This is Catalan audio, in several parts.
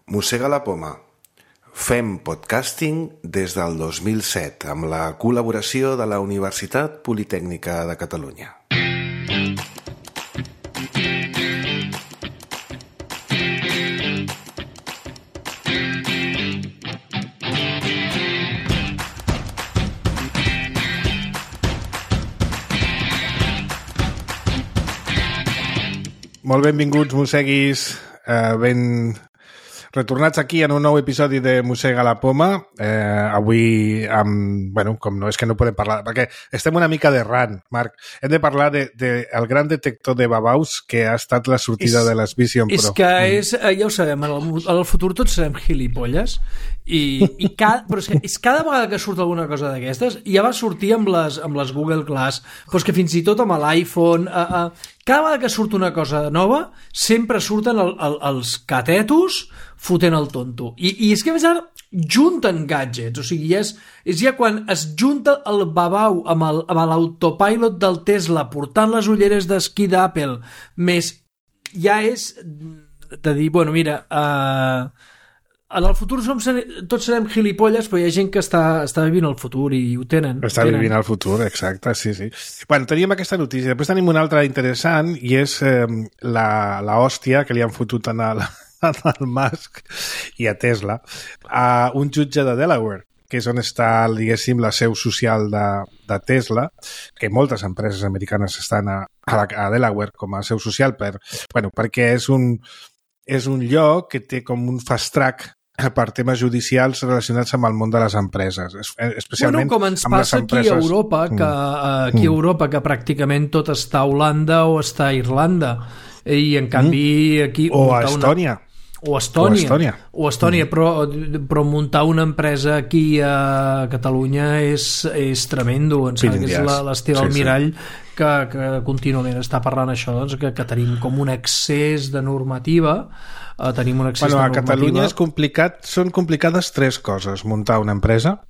Mossega la poma. Fem podcasting des del 2007 amb la col·laboració de la Universitat Politècnica de Catalunya. Molt benvinguts, mosseguis, retornats aquí en un nou episodi de Mossega la poma. Avui, com no és que no podem parlar, perquè estem una mica d'errant, Marc. Hem de parlar del gran detector de babaus que ha estat la sortida de les Vision Pro. És que ja ho sabem, en el futur tots serem gilipolles, però és cada vegada que surt alguna cosa d'aquestes, ja va sortir amb les Google Glass, però és que fins i tot amb l'iPhone... Cada vegada que surt una cosa nova, sempre surten els catetos fotent el tonto. I és que a més ara junten gadgets, o sigui, és ja quan es junta el babau amb l'autopilot del Tesla portant les ulleres d'esquí d'Apple, més ja és de dir, bueno, mira... En el futur tots serem gilipolles, però hi ha gent que està vivint el futur i ho tenen. Vivint el futur, exacte, sí. Bueno, teníem aquesta notícia. Després tenim una altra interessant i és la hòstia que li han fotut al Musk i a Tesla a un jutge de Delaware, que és on està, diguéssim, la seu social de Tesla, que moltes empreses americanes estan a Delaware com a seu social perquè és un lloc que té com un fast track per temes judicials relacionats amb el món de les empreses, especialment com ens passa aquí a Europa, a Europa, que pràcticament tot està a Holanda o està a Irlanda, i en canvi aquí... O a Estònia. O Estònia, però muntar una empresa aquí a Catalunya és tremendo. Em sembla que és l'estil Almirall que contínuament està parlant això, doncs, que tenim com un excés de normativa. Tenim un excés de normativa. A Catalunya és complicat, són complicades tres coses: muntar una empresa,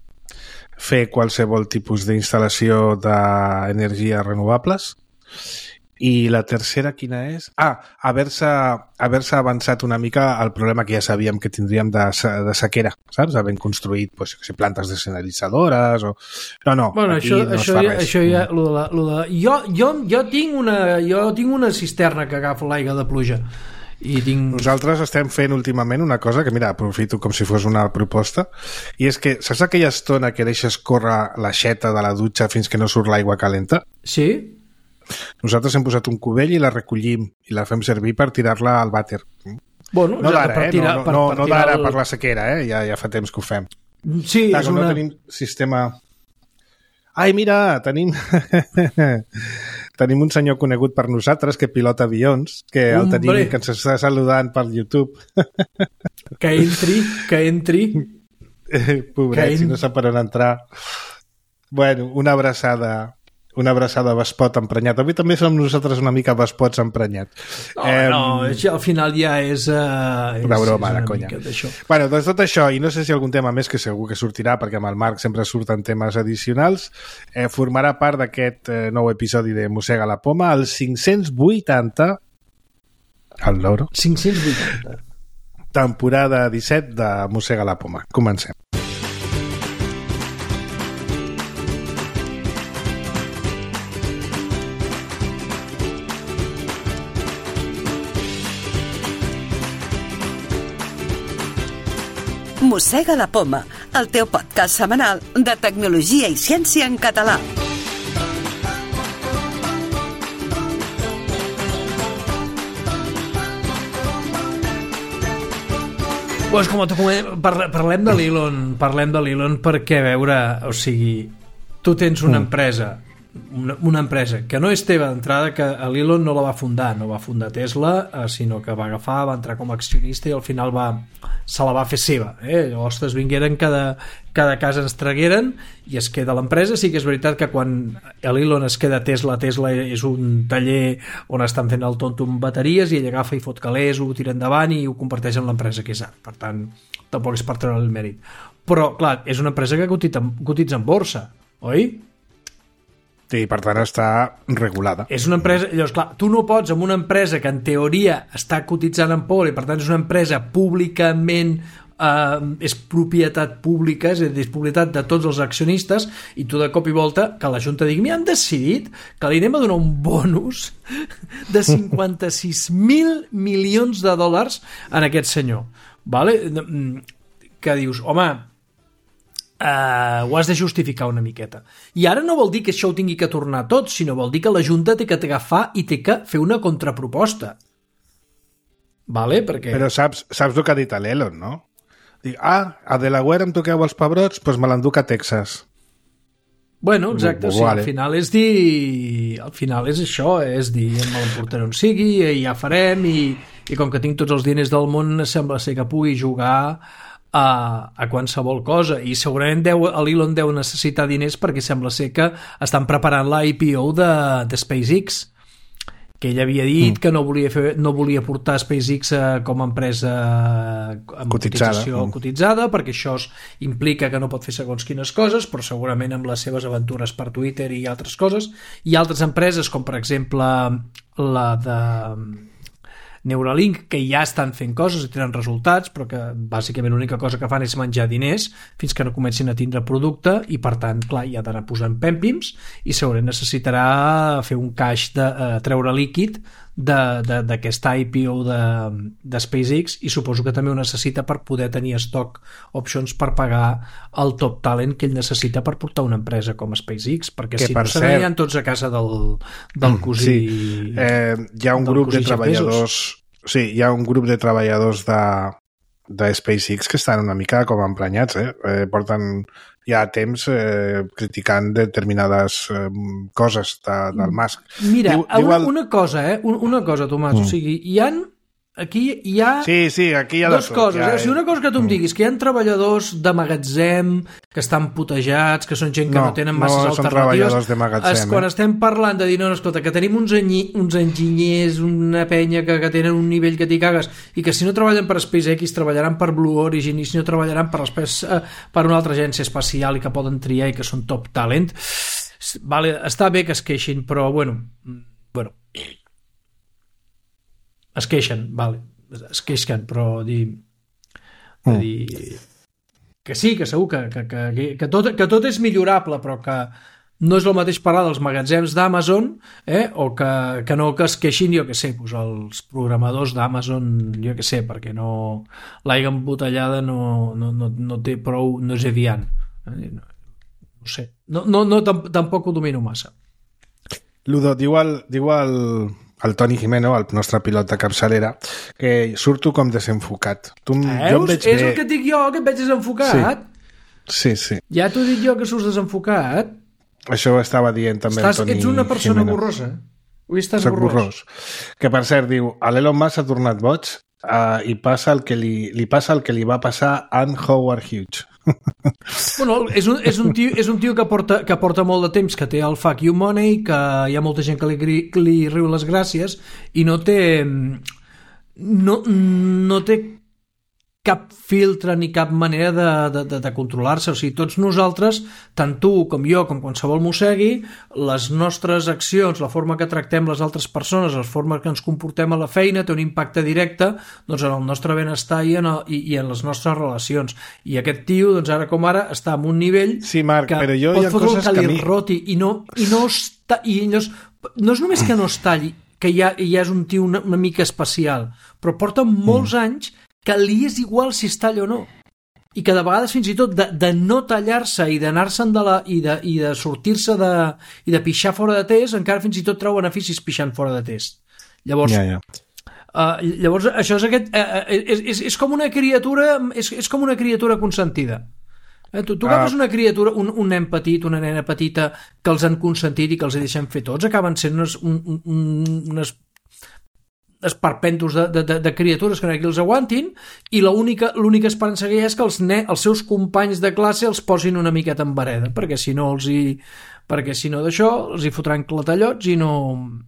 fer qualsevol tipus d'instal·lació d'energies renovables, i la tercera, quina és? Haver-se avançat una mica al problema que ja sabíem que tindríem de sequera, saps? Havent construït plantes desalinitzadores o... No, bueno, aquí no es fa res. Això ja... Jo tinc una cisterna que agafa l'aigua de pluja. Nosaltres estem fent últimament una cosa que, mira, aprofito com si fos una proposta, i és que saps aquella estona que deixes córrer l'aixeta de la dutxa fins que no surt l'aigua calenta? Sí. Nosaltres hem posat un cubell i la recollim i la fem servir per tirar-la al vàter. Bueno, no d'ara, no d'ara per la sequera, ja fa temps que ho fem. Sí, és no tenim sistema... Ai, mira, tenim un senyor conegut per nosaltres que pilota avions, que el tenim, que ens està saludant per YouTube. Que entri. Pobret, si no sap per on entrar. Bueno, una abraçada vespot emprenyat. Avui també som nosaltres una mica vespots emprenyats. Al final ja és... una broma, de conya. Bueno, doncs tot això, i no sé si algun tema més, que segur que sortirà, perquè amb el Marc sempre surten temes addicionals, formarà part d'aquest nou episodi de Mossega la poma, el 580, el loro. 580. Temporada 17 de Mossega la poma. Comencem. Mossega la poma, el teu podcast setmanal de tecnologia i ciència en català. Pues parlem de l'Elon perquè, a veure, o sigui, tu tens una empresa que no és teva d'entrada, que l'Elon no la va fundar Tesla, sinó que va agafar, va entrar com a accionista i al final se la va fer seva. Ostres, vingueren, cada casa ens tragueren i es queda l'empresa. Sí que és veritat que quan l'Elon es queda Tesla és un taller on estan fent el tonto amb bateries i ell agafa i fot calés, ho tira endavant i ho converteix en l'empresa que és ara. Per tant, tampoc és per treure el mèrit. Però, clar, és una empresa que cotitza en borsa, oi? I per tant està regulada. És una empresa, llavors clar, tu no pots amb una empresa que en teoria està cotitzant en pobre i per tant és una empresa públicament és propietat pública, és a dir, és propietat de tots els accionistes, i tu de cop i volta que la Junta digui, han decidit que li anem a donar un bonus de 56.000 milions de dòlars en aquest senyor, vale? Que dius, home, ho has de justificar una miqueta. I ara no vol dir que això ho tingui que tornar tot, sinó vol dir que la Junta té que agafar i té que fer una contraproposta, vale? Perquè... Però saps el que ha dit l'Elon, no? Dic, a Delaware em toqueu els pebrots, doncs me l'enduc a Texas. Bueno, exacte, sí, vale. Al final és dir... Al final és això, és dir, me l'emportaré on sigui, i ja farem, i com que tinc tots els diners del món, sembla ser que pugui jugar a qualsevol cosa, i segurament l'Elon deu necessitar diners perquè sembla ser que estan preparant la IPO de SpaceX, que ell havia dit que no volia portar SpaceX com a empresa amb cotització cotitzada, perquè això implica que no pot fer segons quines coses, però segurament amb les seves aventures per Twitter i altres coses, i altres empreses com per exemple la de Neuralink, que ja estan fent coses i tenen resultats, però que bàsicament l'única cosa que fan és menjar diners fins que no comencin a tindre producte, i per tant, clar, ja ha d'anar posant pèmpims i segurament necessitarà fer un caix de treure líquid d'aquesta IPO de SpaceX, i suposo que també ho necessita per poder tenir stock options per pagar el top talent que ell necessita per portar una empresa com SpaceX, perquè si no se n'aniran tots a casa del cosí. Sí. Hi ha un grup de treballadors, hi ha un grup de treballadors de SpaceX que estan una mica com emprenyats, porten ja temps criticant determinades coses del Musk. Mira, una cosa, Tomàs, o sigui, aquí hi ha aquí hi ha dues coses. Si una cosa que tu em diguis, que hi ha treballadors de magatzem que estan putejats, que són gent que no tenen masses alternatives, quan estem parlant de dir, no, escolta, que tenim uns enginyers, una penya que tenen un nivell que t'hi cagues, i que si no treballen per SpaceX treballaran per Blue Origin, i si no treballaran per una altra agència espacial i que poden triar i que són top talent, vale, està bé que es queixin, però bueno, es queixen, però dir que sí, que segur que tot és millorable, però que no és el mateix parlar dels magatzems d'Amazon o que no que es queixin, jo que sé, els programadors d'Amazon, jo que sé, perquè l'aigua embotellada no té prou, no és eviant, no sé, tampoc ho domino massa. Ludo, diu el Toni Jimeno, el nostre pilot de capçalera, que surto com desenfocat. És el que et dic jo, que et veig desenfocat? Sí. Ja t'ho dic jo que surts desenfocat? Això ho estava dient també el Toni Jimeno. Ets una persona borrosa. Avui estàs borrós. Que per cert, diu, l'Elon Musk ha tornat boig i passa el que li va passar a Ann Howard Hughes. Bueno, és un tio que porta molt de temps, que té el fuck you money, que hi ha molta gent que li riu les gràcies i no té cap filtre ni cap manera de controlar-se. O sigui, tots nosaltres, tant tu com jo, com qualsevol mossegui, les nostres accions, la forma que tractem les altres persones, la forma que ens comportem a la feina té un impacte directe en el nostre benestar i en les nostres relacions. I aquest tio, doncs ara com ara, està en un nivell que pot fotre el que li roti i no és només que no es talli, que ja és un tio una mica especial, però porta molts anys que li és igual si es talla o no, i que de vegades fins i tot de no tallar-se i d'anar-se'n i de sortir-se i de pixar fora de test, encara fins i tot treu beneficis pixant fora de test. Llavors llavors això és com una criatura, és com una criatura consentida. Tu agafes una criatura, un nen petit, una nena petita que els han consentit i que els hi deixem fer tots, acaben sent unes esperpentos de criatures que no hi ha qui els aguantin, i l'única esperança que hi ha és que els seus companys de classe els posin una miqueta en vereda, perquè si no d'això els hi fotran clatallots i no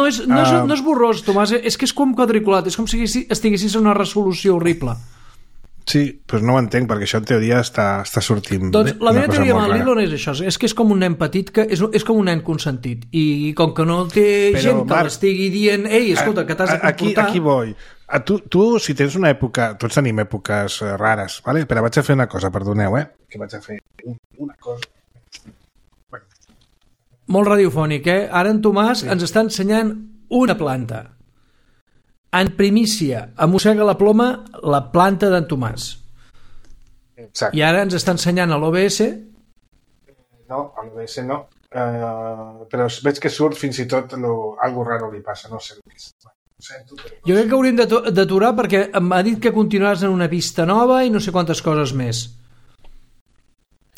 és borrós, Tomàs, és que és com quadriculat, és com si estiguessis en una resolució horrible. Sí, però no ho entenc, perquè això en teoria està sortint doncs la meva teoria amb el rara. Lilon és això, és que és com un nen petit, que és com un nen consentit, i com que no té gent que l'estigui dient ei, escolta, que t'has de comportar... Aquí vull. Tu, si tens una època... Tots tenim èpoques rares, vale? Però vaig a fer una cosa, perdoneu, que vaig a fer una cosa... Molt radiofònic, Ara en Tomàs ens està ensenyant una planta. En primícia, mossega la ploma la planta d'en Tomàs. Exacte. I ara ens està ensenyant a l'OBS... No, a l'OBS no. Però veig que surt fins i tot algo raro li passa, no sé què és. Jo crec que hauríem d'aturar perquè m'ha dit que continuaràs en una pista nova i no sé quantes coses més.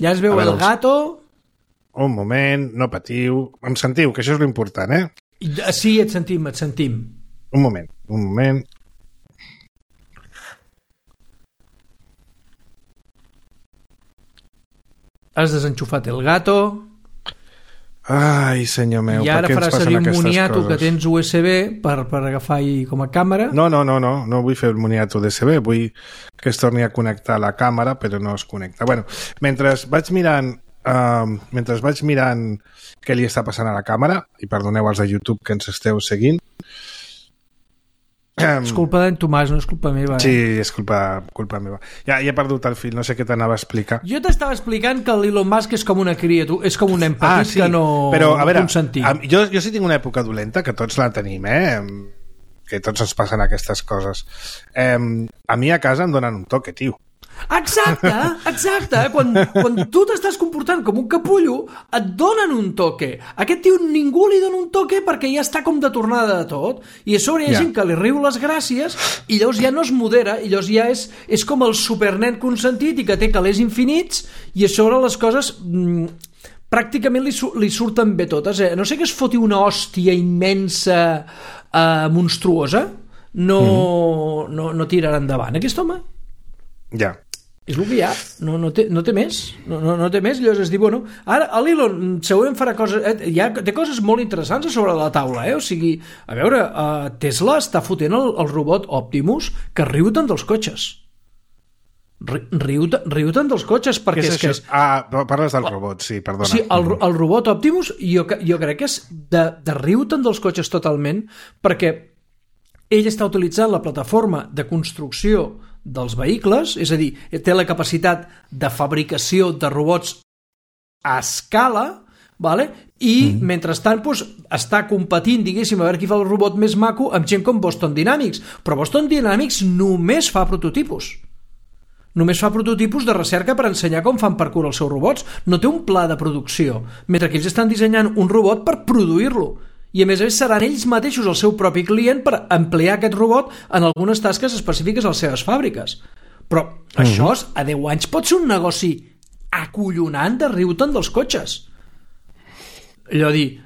Ja es veu el gato... Un moment, no patiu. Em sentiu, que això és l'important, Sí, et sentim. Un moment. Has desenxufat el gato... Ai, senyor meu, i ara per què ens faràs passen servir un aquestes moniato coses? que tens USB per agafar-hi com a càmera. No vull fer el moniato USB, vull que es torni a connectar a la càmera, però no es connecta. Bueno, mentre vaig mirant què li està passant a la càmera, i perdoneu els de YouTube que ens esteu seguint. És culpa d'en Tomàs, no és culpa meva. Sí, és culpa meva. Ja he perdut el fil, no sé què t'anava a explicar. Jo t'estava explicant que l'Elon Musk és com una criatura, és com un nen petit que no però, a veure, consentir. Jo sí tinc una època dolenta, que tots la tenim, que tots ens passen aquestes coses. A mi a casa em donen un toque, tio. Exacte. Quan tu t'estàs comportant com un capullo, et donen un toque. Aquest tio ningú li dona un toque perquè ja està com de tornada de tot, i a sobre hi ha gent que li riu les gràcies i llavors ja no es modera, i llavors ja és com el supernen consentit i que té calés infinits, i a sobre les coses pràcticament li surten bé totes. No sé que es foti una hòstia immensa, monstruosa, no tirarà endavant aquest home. Ja. És el que hi ha, no té més, no té més. Llavors es diu, bueno, ara l'Elon segurament farà coses, té coses molt interessants a sobre la taula, o sigui, a veure, Tesla està fotent el robot Optimus que riu tant dels cotxes. Riu tant dels cotxes, perquè és això? Parles del robot, sí, perdona. Sí, el robot Optimus jo crec que és de riu tant dels cotxes totalment, perquè ell està utilitzant la plataforma de construcció dels vehicles, és a dir, té la capacitat de fabricació de robots a escala, vale? I mentrestant està competint, diguéssim, a veure qui fa el robot més maco amb gent com Boston Dynamics, però Boston Dynamics només fa prototipus. Només fa prototipus de recerca per ensenyar com fan parkour els seus robots, no té un pla de producció, mentre que ells estan dissenyant un robot per produir-lo. I a més seran ells mateixos el seu propi client per emplear aquest robot en algunes tasques específiques a les seves fàbriques. Però això a 10 anys pot ser un negoci acollonant de riu-te'n dels cotxes. Allò hi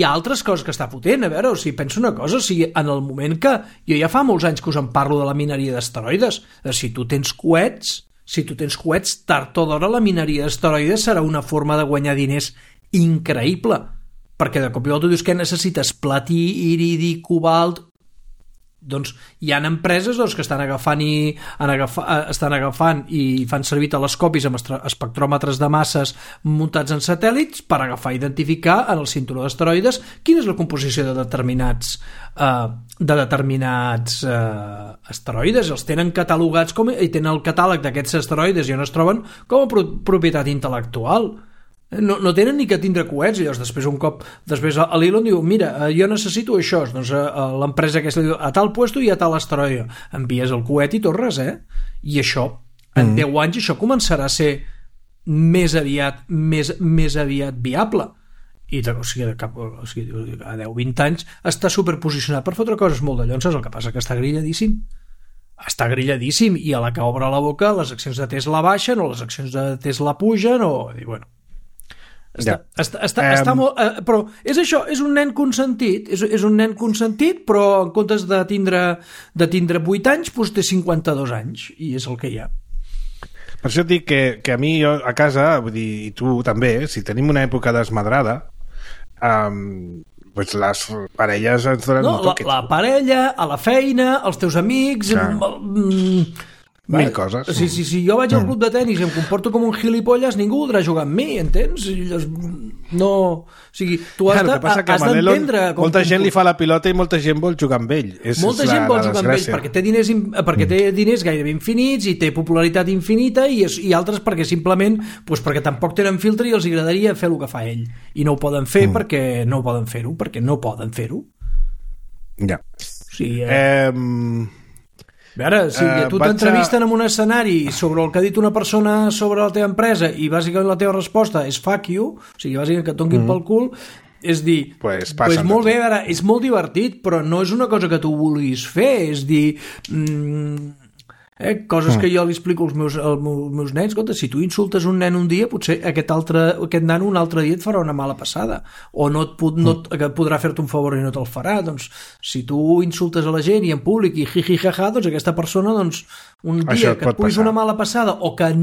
ha altres coses que està fotent, a veure, o sigui, penso una cosa, o sigui, en el moment que jo ja fa molts anys que us en parlo de la mineria d'asteroides, si tu tens coets, tard o d'hora la mineria d'asteroides serà una forma de guanyar diners increïble. Perquè de cop i volta dius que necessites platí, iridi, cobalt... Doncs hi ha empreses que estan agafant i fan servir telescopis amb espectròmetres de masses muntats en satèl·lits per agafar i identificar en el cinturó d'asteroides quina és la composició de determinats asteroides. Els tenen catalogats i tenen el catàleg d'aquests asteroides i on es troben com a propietat intel·lectual. No tenen ni que tindre coets, i llavors després l'Elon diu, mira, jo necessito això, doncs l'empresa aquesta diu, a tal puesto i a tal asteroide, envies el coet i torres, i això, en 10 anys això començarà a ser més aviat viable, i o sigui, a 10-20 anys està superposicionat per fotre coses molt de llonses, el que passa que està grilladíssim, i a la que obre la boca les accions de Tesla baixen o les accions de Tesla pugen, i bueno, està molt, però és això, és un nen consentit, però en comptes de tindre 8 anys té 52 anys, i és el que hi ha. Per això dic que a mi, jo a casa, vull dir, i tu també, si tenim una època desmadrada, pues les parelles ens donen un toque. La parella, a la feina, els teus amics, mil coses. Si jo vaig al club de tenis i em comporto com un gilipolles, ningú voldrà jugar amb mi, entens? No... O sigui, tu has d'entendre... Molta gent li fa la pilota i molta gent vol jugar amb ell. Molta gent vol jugar amb ell perquè té diners gairebé infinits i té popularitat infinita i altres perquè simplement perquè tampoc tenen filtre i els agradaria fer el que fa ell. I no ho poden fer perquè no poden fer-ho, Ja. Sí, a veure, si tu t'entrevisten en un escenari sobre el que ha dit una persona sobre la teva empresa i bàsicament la teva resposta és fuck you, o sigui, bàsicament que et donguin pel cul, és dir, pues molt bé, a veure, és molt divertit, però no és una cosa que tu vulguis fer, és dir... coses que jo li explico als meus nens. Escolta, si tu insultes un nen un dia, potser aquest nano un altre dia et farà una mala passada, o que podrà fer-te un favor i no te'l farà. Doncs si tu insultes a la gent i en públic i jiji jaja, doncs aquesta persona un dia que et pugui fer una mala passada o que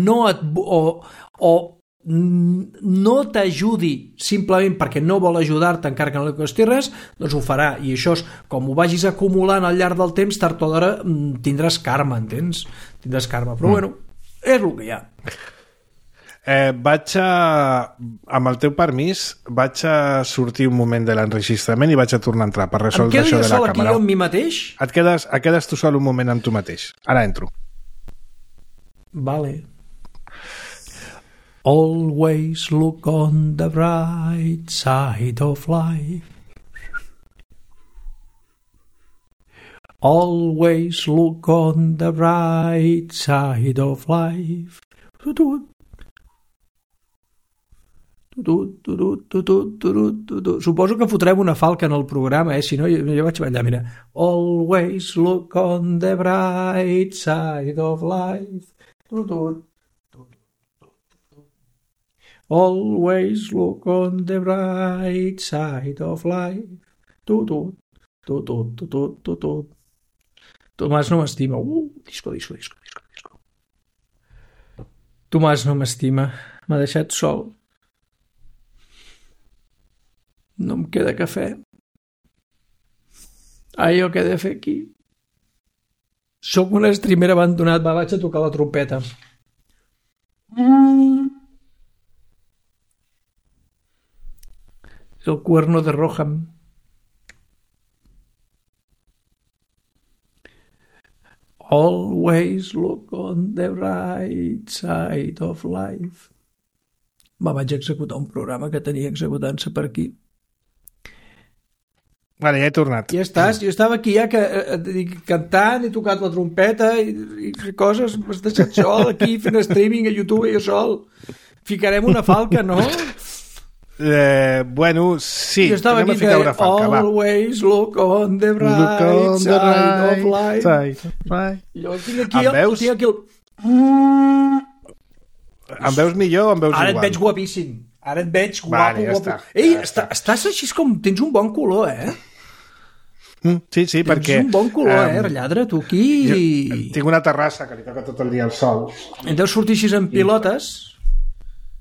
no t'ajudi simplement perquè no vol ajudar-te encara que no li costi res, doncs ho farà, i això és, com ho vagis acumulant al llarg del temps, tard o d'hora tindràs karma, entens? Tindràs karma, però bueno, és el que hi ha. Amb el teu permís, vaig a sortir un moment de l'enregistrament i vaig a tornar a entrar per resoldre això de la càmera. Em quedo jo sol aquí amb mi mateix? Et quedes tu sol un moment amb tu mateix. Ara entro. Vale. Always look on the bright side of life. Always look on the bright side of life. Suposo que fotrem una falca en el programa, si no jo vaig ballar, mira. Always look on the bright side of life. Always look on the bright side of life. Tomàs no m'estima. Disco. Tomàs no m'estima. M'ha deixat sol. No em queda cafè. Jo què he de fer aquí? Soc un streamer abandonat. Vaig a tocar la trompeta. És el cuerno de Roham. Always look on the right side of life. Vaig executar un programa que tenia executant-se per aquí. Vale, ja he tornat. Ja estàs, jo estava aquí ja cantant, he tocat la trompeta i coses, m'has deixat sol aquí fent streaming a YouTube jo sol. Ficarem una falca, no? Bueno, sí, anem a ficar una falca, va. Always look on the right side of life. Jo tinc aquí el... Em veus millor o em veus igual? Ara et veig guapíssim. Ara et veig guapo. Ei, estàs així com... Tens un bon color, Sí, perquè... Tens un bon color, relladre, tu aquí... Tinc una terrassa que li toca tot el dia al sol. En deus sortir així en pilotes...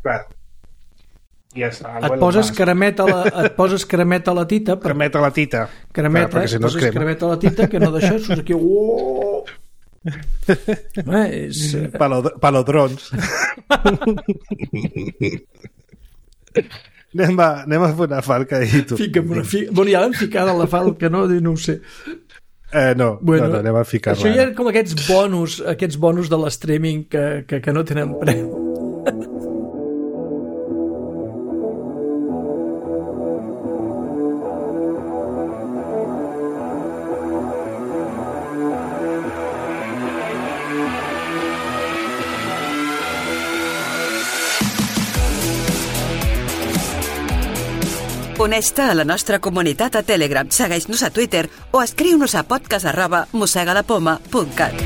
Clar. Et poses cremeta a la tita. Cremeta a la tita. Cremeta, si no poses cremeta a la tita, que no deixes, surts aquí... Palodrons. Anem a fer una falca i tu. Bueno, ja l'hem ficada la falca, no? No ho sé. No, anem a ficar-la. Això ja eren com aquests bonus de l'streaming que no tenen preu. Uneix-te a la nostra comunitat a Telegram, segueix-nos a Twitter o escriu-nos a podcast@mossegalapoma.cat.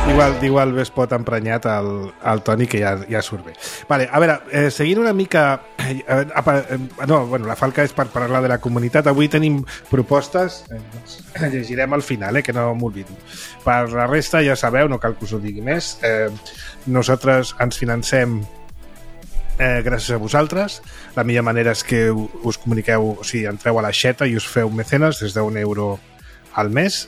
Igual ves pot emprenyat el Toni, que ja surt bé. Vale, a veure, seguint una mica... la falca és per parlar de la comunitat. Avui tenim propostes, llegirem al final, que no m'oblido. Per la resta, ja sabeu, no cal que us ho digui més. Nosaltres ens financem gràcies a vosaltres. La millor manera és que us comuniqueu, o sigui, entreu a la xeta i us feu mecenes des d'1 euro al mes,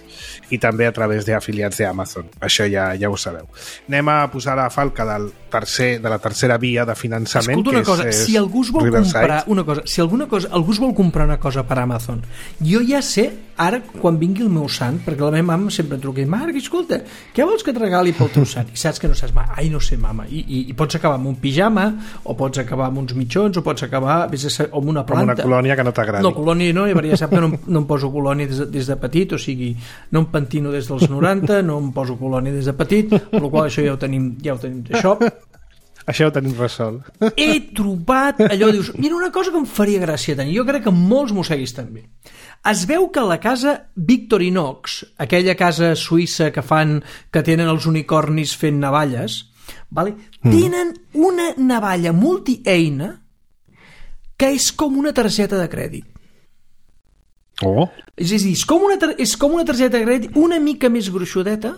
i també a través d'afiliats d'Amazon. Això ja ho sabeu. Anem a posar la falca de la tercera via de finançament. Escolta una cosa, si algú es vol comprar una cosa, si algú es vol comprar una cosa per Amazon, jo ja sé, ara, quan vingui el meu sant, perquè la meva mama sempre em truca i Marc, escolta, què vols que et regali pel teu sant? I saps que no saps mai. Ai, no sé, mama. I pots acabar amb un pijama, o pots acabar amb uns mitjons, o pots acabar amb una planta. Amb una colònia que no t'agradi. No, colònia no, ja sap que no em poso colònia des de petit, o sigui, no em pentino des dels 90, no em poso colònia des de petit, per la qual això ja ho tenim d'això. Això ho tenim resolt. He trobat allò, dius, mira, una cosa que em faria gràcia tenir, jo crec que molts mosseguis també. Es veu que la casa Victorinox, aquella casa suïssa que tenen els unicornis fent navalles, vale? Tenen una navalla multieina que és com una targeta de crèdit. Oh. És a dir, és com una targeta de crèdit una mica més gruixudeta,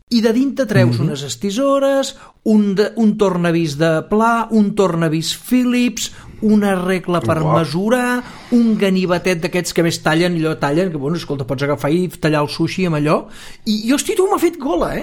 i de dintre treus unes estisores, un tornavís de pla, un tornavís Philips, una regla per mesurar, un ganivetet d'aquests que més tallen, que, bueno, escolta, pots agafar i tallar el sushi amb allò, i hosti, tu m'ha fet gola,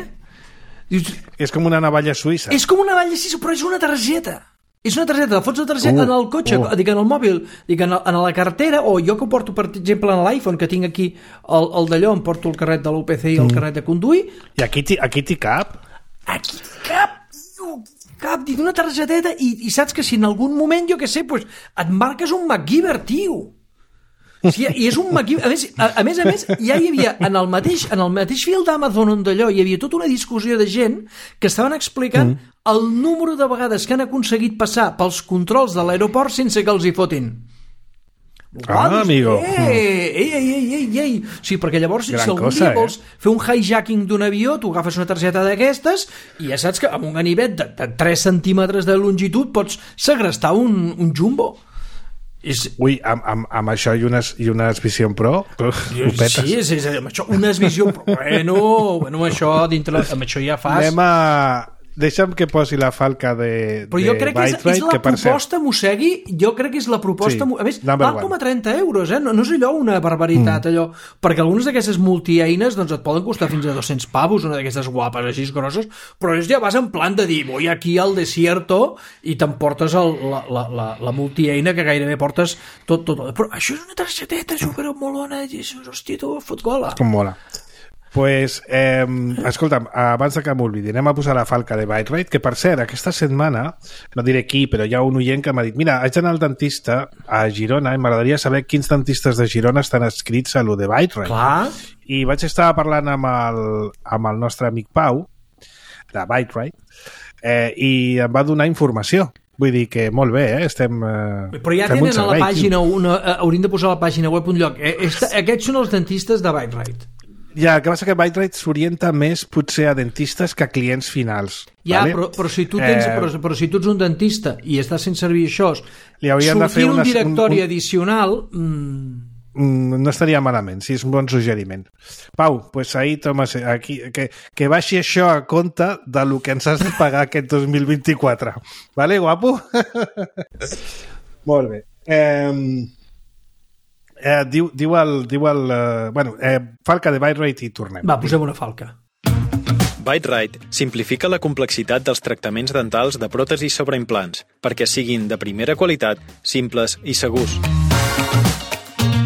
Dius, és com una navalla suïssa. És com una navalla suïssa, però és una targeta. És una targeta, la fots la targeta en el cotxe, dic en el mòbil, dic en la cartera, o jo que ho porto, per exemple, en l'iPhone, que tinc aquí el d'allò, em porto el carnet de l'UPC i el carnet de conduir. I aquí t'hi cap? Aquí cap, dic, una targeteta, i saps que si en algun moment, jo què sé, pues, et marques un MacGyver, tio. Sí, i és un MacGyver. A més, ja hi havia, en el mateix fil d'Amazon on d'allò, hi havia tota una discussió de gent que estaven explicant el número de vegades que han aconseguit passar pels controls de l'aeroport sense que els hi fotin. Amigo. Ei. Sí, perquè llavors, si algun dia vols fer un hijacking d'un avió, tu agafes una targeta d'aquestes i ja saps que amb un ganivet de 3 centímetres de longitud pots segrestar un jumbo. Ui, amb això i unes Vision Pro ho petes. Sí, amb això, unes Vision Pro, bueno, això dintre, amb això ja fas. Deixa'm que posi la falca de però jo crec que és la proposta, Mossegui, jo crec que és la proposta, a més, val com a 30 euros, no és allò una barbaritat, allò, perquè algunes d'aquestes multieines doncs et poden costar fins a 200 pavos, una d'aquestes guapes així grosses, però ja vas en plan de dir, voy aquí al desierto i t'emportes la multieina que gairebé portes tot, però això és una targeteta supermolona, i això, hòstia, tu fot gola. Com mola. Pues, escolta'm, abans que m'oblidi, anem a posar la falca de ByteRite, que per cert, aquesta setmana, no diré qui, però hi ha un oient que m'ha dit, mira, haig d'anar al dentista a Girona i m'agradaria saber quins dentistes de Girona estan escrits a lo de ByteRite. Clar. I vaig estar parlant amb el nostre amic Pau, de ByteRite, i em va donar informació. Vull dir que molt bé, estem... Però ja tenen a la pàgina, hauríem de posar a la pàgina web un lloc. Aquests són els dentistes de ByteRite. Ja, el que passa que ByteRite s'orienta més potser a dentistes que a clients finals. Ja, vale? però si tu tens, però si tu ets un dentista i estàs fent servir això, sortir un directori addicional... no estaria malament, sí, és un bon suggeriment. Pau, pues ahí tomes aquí, que baixi això a compte de lo que ens has de pagar aquest 2024. Vale, guapo? Molt bé. Diu el falca de ByteRite i tornem. Va, posem una falca. ByteRite simplifica la complexitat dels tractaments dentals de pròtesis sobre implants perquè siguin de primera qualitat, simples i segurs.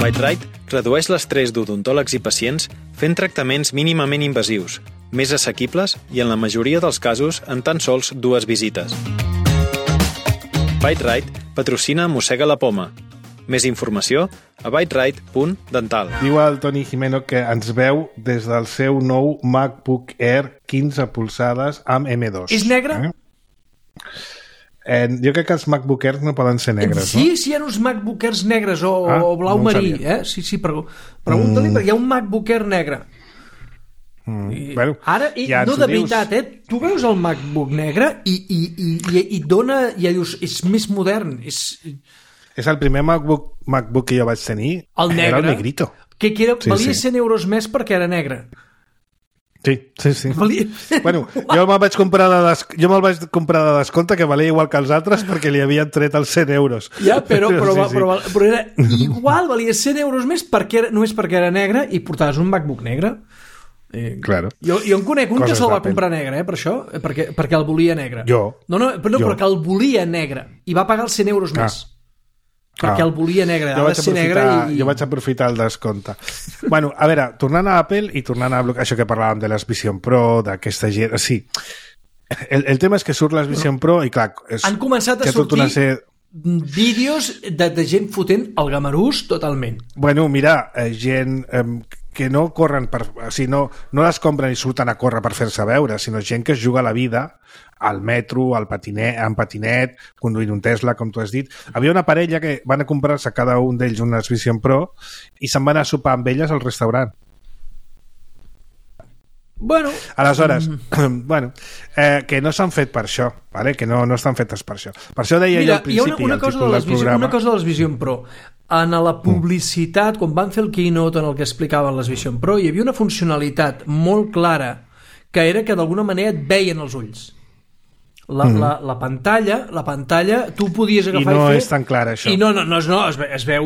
ByteRite redueix l'estrès d'odontòlegs i pacients fent tractaments mínimament invasius, més assequibles i en la majoria dels casos en tan sols 2 visites. ByteRite patrocina Mossega la Poma. Més informació a byterite.dental. Diu el Toni Jimeno que ens veu des del seu nou MacBook Air 15 polzades amb M2. És negre? Jo crec que els MacBook Airs no poden ser negres, sí, no? Sí, hi ha uns MacBook Airs negres o blau marí. Sí, pregunta-li, perquè hi ha un MacBook Air negre. Bueno, ara, ja no ens de ho dius. veritat, tu veus el MacBook negre i dona, ja dius, és més modern, És el primer MacBook que jo vaig tenir. el negre, Era el negrito. que era, Sí, valia sí. 100 euros més perquè era negre. Sí. Valia... Bueno, jo me'l vaig comprar de descompte, que valia igual que els altres, perquè li havien tret els 100 euros. Ja, però Sí. era igual, valia 100 euros més només perquè era negre i portaves un MacBook negre. Claro. Jo en conec un Coses que se'l va d'Apple. comprar negre, per això, perquè el volia negre. Jo. No, perquè el volia negre i va pagar els 100 euros més. Perquè el volia negre, ha de ser negre Jo vaig aprofitar el descompte. Bueno, a veure, tornant a Apple i tornant a això que parlàvem de les Vision Pro, d'aquesta gent... Sí, el tema és que surt les Vision Pro i, clar... Han començat a sortir vídeos de gent fotent el gamarús totalment. Bueno, mira, gent que no corren o sigui, no les compren i surten a córrer per fer-se veure, sinó gent que es juga la vida al metro, en patinet, conduint un Tesla, com tu has dit. Havia una parella que van a comprar-se cada un d'ells unes Vision Pro i se'n van a sopar amb elles al restaurant. Bueno, aleshores, que no s'han fet per això, vale? Que no estan fetes per això. Per això deia jo al principi, una cosa de les Vision Pro. En la publicitat, quan van fer el keynote en el que explicaven les Vision Pro, hi havia una funcionalitat molt clara que era que d'alguna manera et veien els ulls. La pantalla tu podies agafar i no i fer... és tan clar això. I no, es veu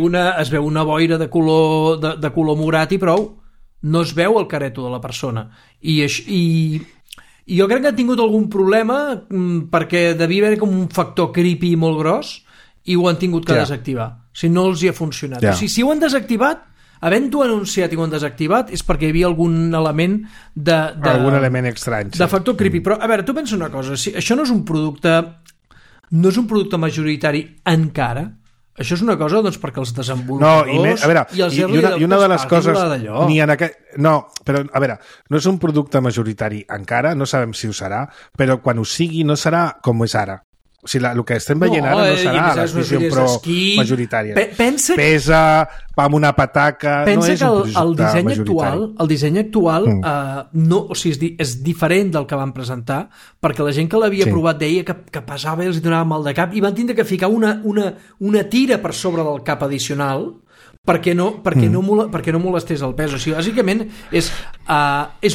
una boira de color morat i prou. No es veu el careto de la persona. I jo crec que han tingut algun problema perquè devia haver com un factor creepy molt gros i ho han tingut que desactivar. Si no els hi ha funcionat. O sigui, si ho han desactivat, havent-ho anunciat i ho han desactivat, és perquè hi havia algun element algun element estrany. De factor creepy. Però, a veure, tu pensa una cosa. Si això no és un producte majoritari encara. Això és una cosa, doncs, perquè els desenvolupadors i els early adopters, una de les coses però a veure, no és un producte majoritari encara, no sabem si ho serà, però quan ho sigui no serà com és ara. O sigui, el que estem veient ara no serà la Vision Pro majoritària. Pesa, va amb una pataca, no és un producte majoritari. El disseny actual o sigui, és diferent del que van presentar, perquè la gent que l'havia provat deia que pesava i els donava mal de cap i van tindre que ficar una tira per sobre del cap addicional perquè no molestés el pes. O sigui, bàsicament és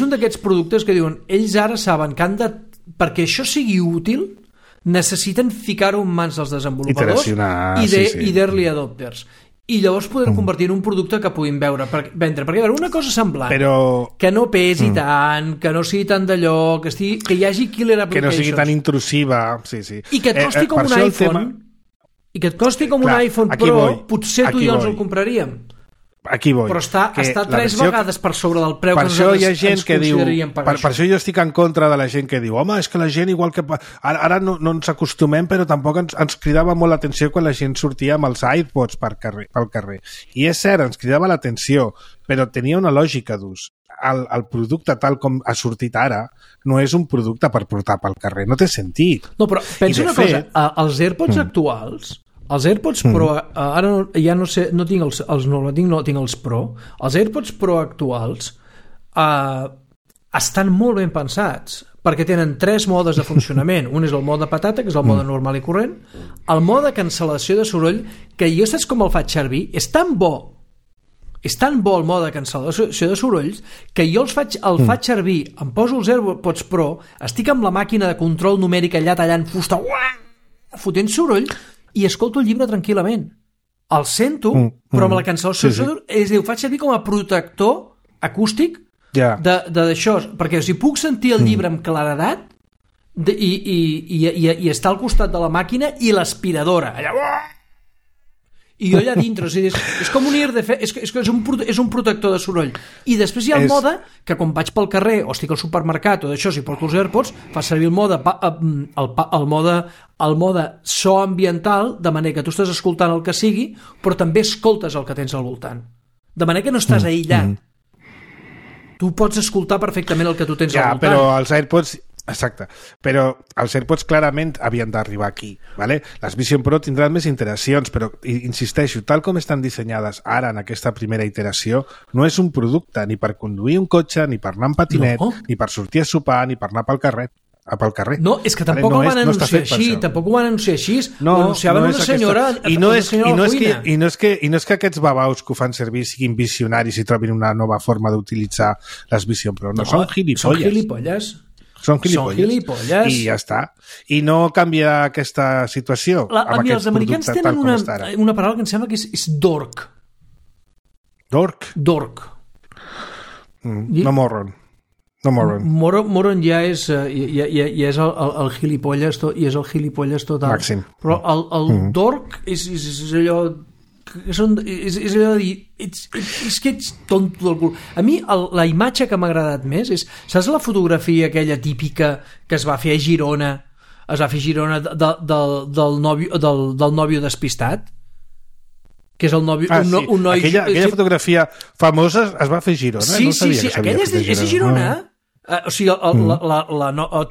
un d'aquests productes que diuen ells ara saben que perquè això sigui útil necessiten ficar-ho en mans dels desenvolupadors i d'early adopters. I llavors poder convertir en un producte que puguin vendre. Perquè una cosa semblant, que no pesi tant, que no sigui tan d'allò, que hi hagi killer applications. Que no sigui tan intrusiva. I que et costi com un iPhone. I que et costi com un iPhone Pro, potser tu i jo ens el compraríem. Aquí vull. Però està 3 vegades per sobre del preu que nosaltres ens consideraríem pagar. Per això jo estic en contra de la gent que diu home, és que la gent igual que... Ara no ens acostumem, però tampoc ens cridava molt l'atenció quan la gent sortia amb els iPods pel carrer. I és cert, ens cridava l'atenció, però tenia una lògica d'ús. El producte tal com ha sortit ara no és un producte per portar pel carrer, no té sentit. No, però pensa una cosa, els AirPods actuals... Els AirPods Pro, ara ja no sé, no tinc els Pro. Els AirPods Pro actuals estan molt ben pensats, perquè tenen 3 modes de funcionament. Un és el mode patata, que és el mode normal i corrent. El mode cancel·lació de soroll, que jo saps com el faig servir, és tan bo el mode de cancel·lació de sorolls que jo el faig servir, em poso els AirPods Pro, estic amb la màquina de control numèric allà tallant fusta, fotent soroll, i escolto el llibre tranquil·lament. El sento, però amb la cancel·lació ho faig servir com a protector acústic d'això, perquè si puc sentir el llibre amb claredat i estar al costat de la màquina i l'aspiradora allà, i jo allà dintre, o sigui, és com un és un protector de soroll. I després hi ha el mode que quan vaig pel carrer o estic al supermercat o d'això, si porto els AirPods, fa servir el mode so ambiental, de manera que tu estàs escoltant el que sigui, però també escoltes el que tens al voltant, de manera que no estàs aïllat. Tu pots escoltar perfectament el que tu tens al voltant. Però els AirPods Exacte, però els AirPods clarament havien d'arribar aquí, ¿vale? Les Vision Pro tindran més iteracions, però insisteixo, tal com estan dissenyades ara en aquesta primera iteració, no és un producte ni per conduir un cotxe, ni per anar en patinet, ni per sortir a sopar, ni per anar pel carrer. No, és que tampoc ho van anunciar així, tampoc ho van anunciar així. Ho anunciaven una senyora a la cuina. I no és que aquests babaus que ho fan servir siguin visionaris i trobin una nova forma d'utilitzar les Vision Pro. No, són gilipolles. Són gilipolles i ja està. I no canvia aquesta situació amb aquest producte tal com està ara. Els americans tenen una paraula que em sembla que és dork. Dork? Dork. No moron. Moron ja és el gilipolles i és el gilipolles total. Màxim. Però el dork és allò... és allò de dir és que ets tonto del cul. A mi la imatge que m'ha agradat més és, saps la fotografia aquella típica que es va fer a Girona del nòvio despistat, que és el nòvio, un noi... Aquella fotografia famosa es va fer a Girona. Sí, aquella és a Girona. O sigui,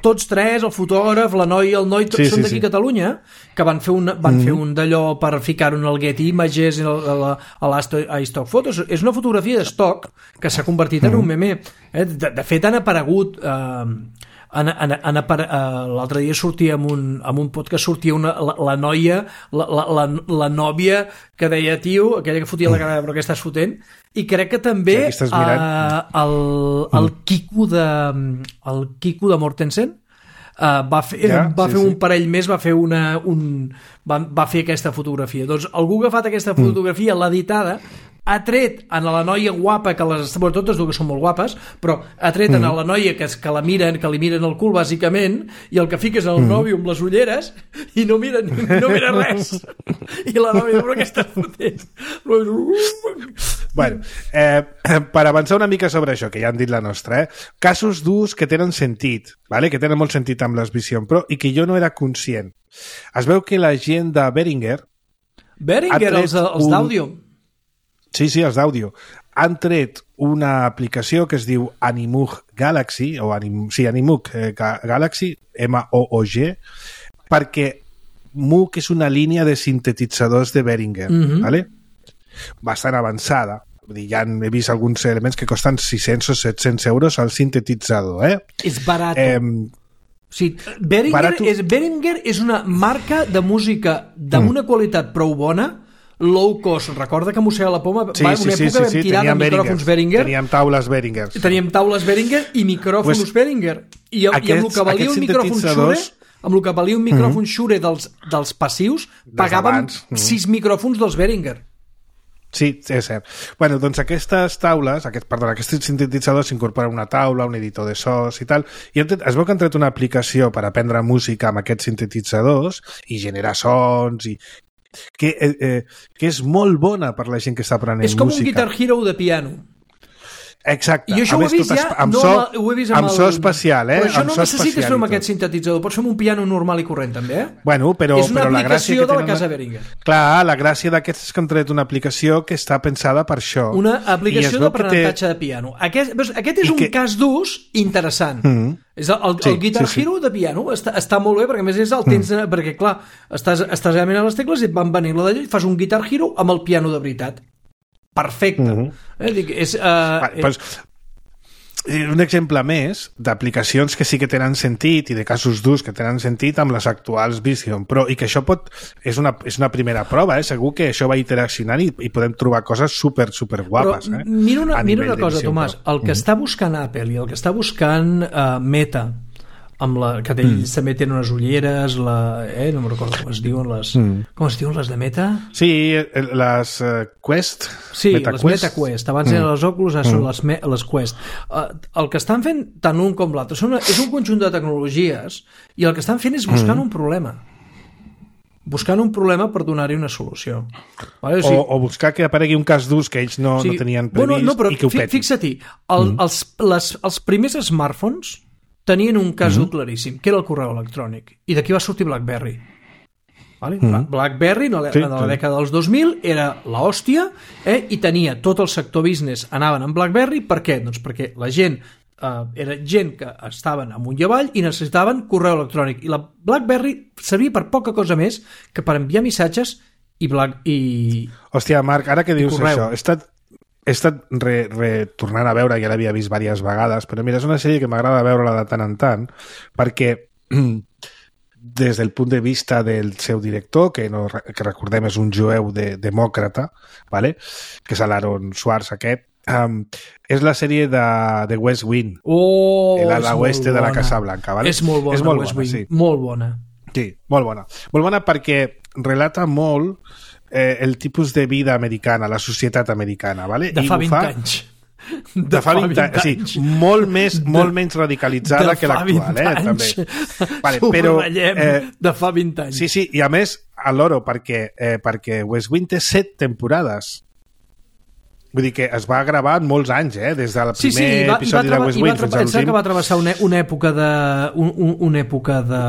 tots tres, el fotògraf, la noia i el noi, tots són d'aquí a Catalunya, que van fer un d'allò per ficar-ho en el Getty Images, a l'iStock Photos. És una fotografia d'estoc que s'ha convertit en un meme. De fet, han aparegut... l'altre dia sortia amb un podcast, sortia la noia, la nòvia que deia, tio, aquella que fotia la cara, però que estàs fotent, i crec que també el Quico de Mortensen va fer un parell més, va fer aquesta fotografia. Doncs algú que ha fet aquesta fotografia, l'ha editada, ha tret a la noia guapa, que totes dues són molt guapes, però ha tret a la noia que li miren el cul, bàsicament, i el que fica és el nòvio amb les ulleres i no mira res. I la nòvia, però què estàs fotent? Bueno, per avançar una mica sobre això, que ja han dit la nostra, casos d'ús que tenen sentit, ¿vale? Que tenen molt sentit amb les Vision Pro i que jo no era conscient. Es veu que la gent de Behringer, els d'àudio. Sí, els d'àudio. Han tret una aplicació que es diu Animoog Galaxy, Animoog Galaxy, MOOG, perquè Moog és una línia de sintetitzadors de Behringer, ¿vale? Bastant avançada. Ja he vist alguns elements que costen 600 o 700 euros al sintetitzador, És barat. Behringer és una marca de música d'una qualitat prou bona, low cost. Recorda que mossega la poma, una època vam tirar de micròfons Behringer. Teníem taules Behringer i micròfons Behringer. I amb el que valia un micròfon Shure, amb el que valia un micròfon Shure dels passius, pagàvem 6 micròfons dels Behringer. Sí, és cert. Bueno, doncs aquests sintetitzadors s'incorporen una taula, un editor de sos i tal, i es veu que han tret una aplicació per aprendre música amb aquests sintetitzadors i generar sons i que és molt bona per la gent que està aprenent música. És com un Guitar Hero de piano. Exacte. I això ho he vist ja, ho he vist amb so especial, Però això no necessites fer amb aquest sintetitzador, pots fer amb un piano normal i corrent, també, Bueno, però és una aplicació de la casa Behringer. Clar, la gràcia d'aquests és que han tret una aplicació que està pensada per això. Una aplicació d'aprenentatge de piano. Aquest és un cas d'ús interessant. És el Guitar Hero de piano està molt bé, perquè a més és el temps, perquè clar, estàs realment a les tecles i et van venir la d'allò i fas un Guitar Hero amb el piano de veritat. Perfecte. Un exemple més d'aplicacions que sí que tenen sentit i de casos d'ús que tenen sentit amb les actuals Vision Pro, i que això és una primera prova, segur que això va interaccionant i podem trobar coses super guapes. Però mira una cosa, Tomàs, el que està buscant Apple i el que està buscant Meta, que ells també tenen unes ulleres, no me'n recordo com es diuen les de Meta? Sí, les Quest. Sí, les Meta Quest. Abans eren les Oculus, ara són les Quest. El que estan fent tant un com l'altre és un conjunt de tecnologies, i el que estan fent és buscant un problema. Buscant un problema per donar-hi una solució. Vale? O buscar que aparegui un cas d'ús que ells no tenien previst i que ho petin. Fixa-t'hi, els primers smartphones tenien un cas claríssim, que era el correu electrònic, i d'aquí va sortir BlackBerry. Vale? BlackBerry en la dècada dels 2000 era l'hòstia, i tenia tot el sector business anaven amb BlackBerry. Per què? Doncs perquè la gent era gent que estaven amunt i avall i necessitaven correu electrònic. I la BlackBerry servia per poca cosa més que per enviar missatges i Hòstia, Marc, ara que dius correu. això, he estat retornant a veure, ja l'havia vist diverses vegades, però mira, és una sèrie que m'agrada veure-la de tant en tant, perquè des del punt de vista del seu director, que recordem és un jueu demòcrata, ¿vale? Que és l'Aaron Swartz aquest, és la sèrie de West Wing, l'ala oeste de la Casa Blanca, ¿vale? És molt bona, West Wing, sí. Molt bona. Sí, molt bona. Molt bona perquè relata molt el tipus de vida americana, la societat americana, ¿vale? De fa 20 anys. De fa 20 anys. Sí, molt menys radicalitzada que l'actual, també. Vale, però, de fa 20 anys. Sí, i a més, a l'oro, perquè West Wing té 7 temporades. Vull dir que es va gravar en molts anys, des del primer episodi de West Wing fins a l'últim. Que va travessar una època de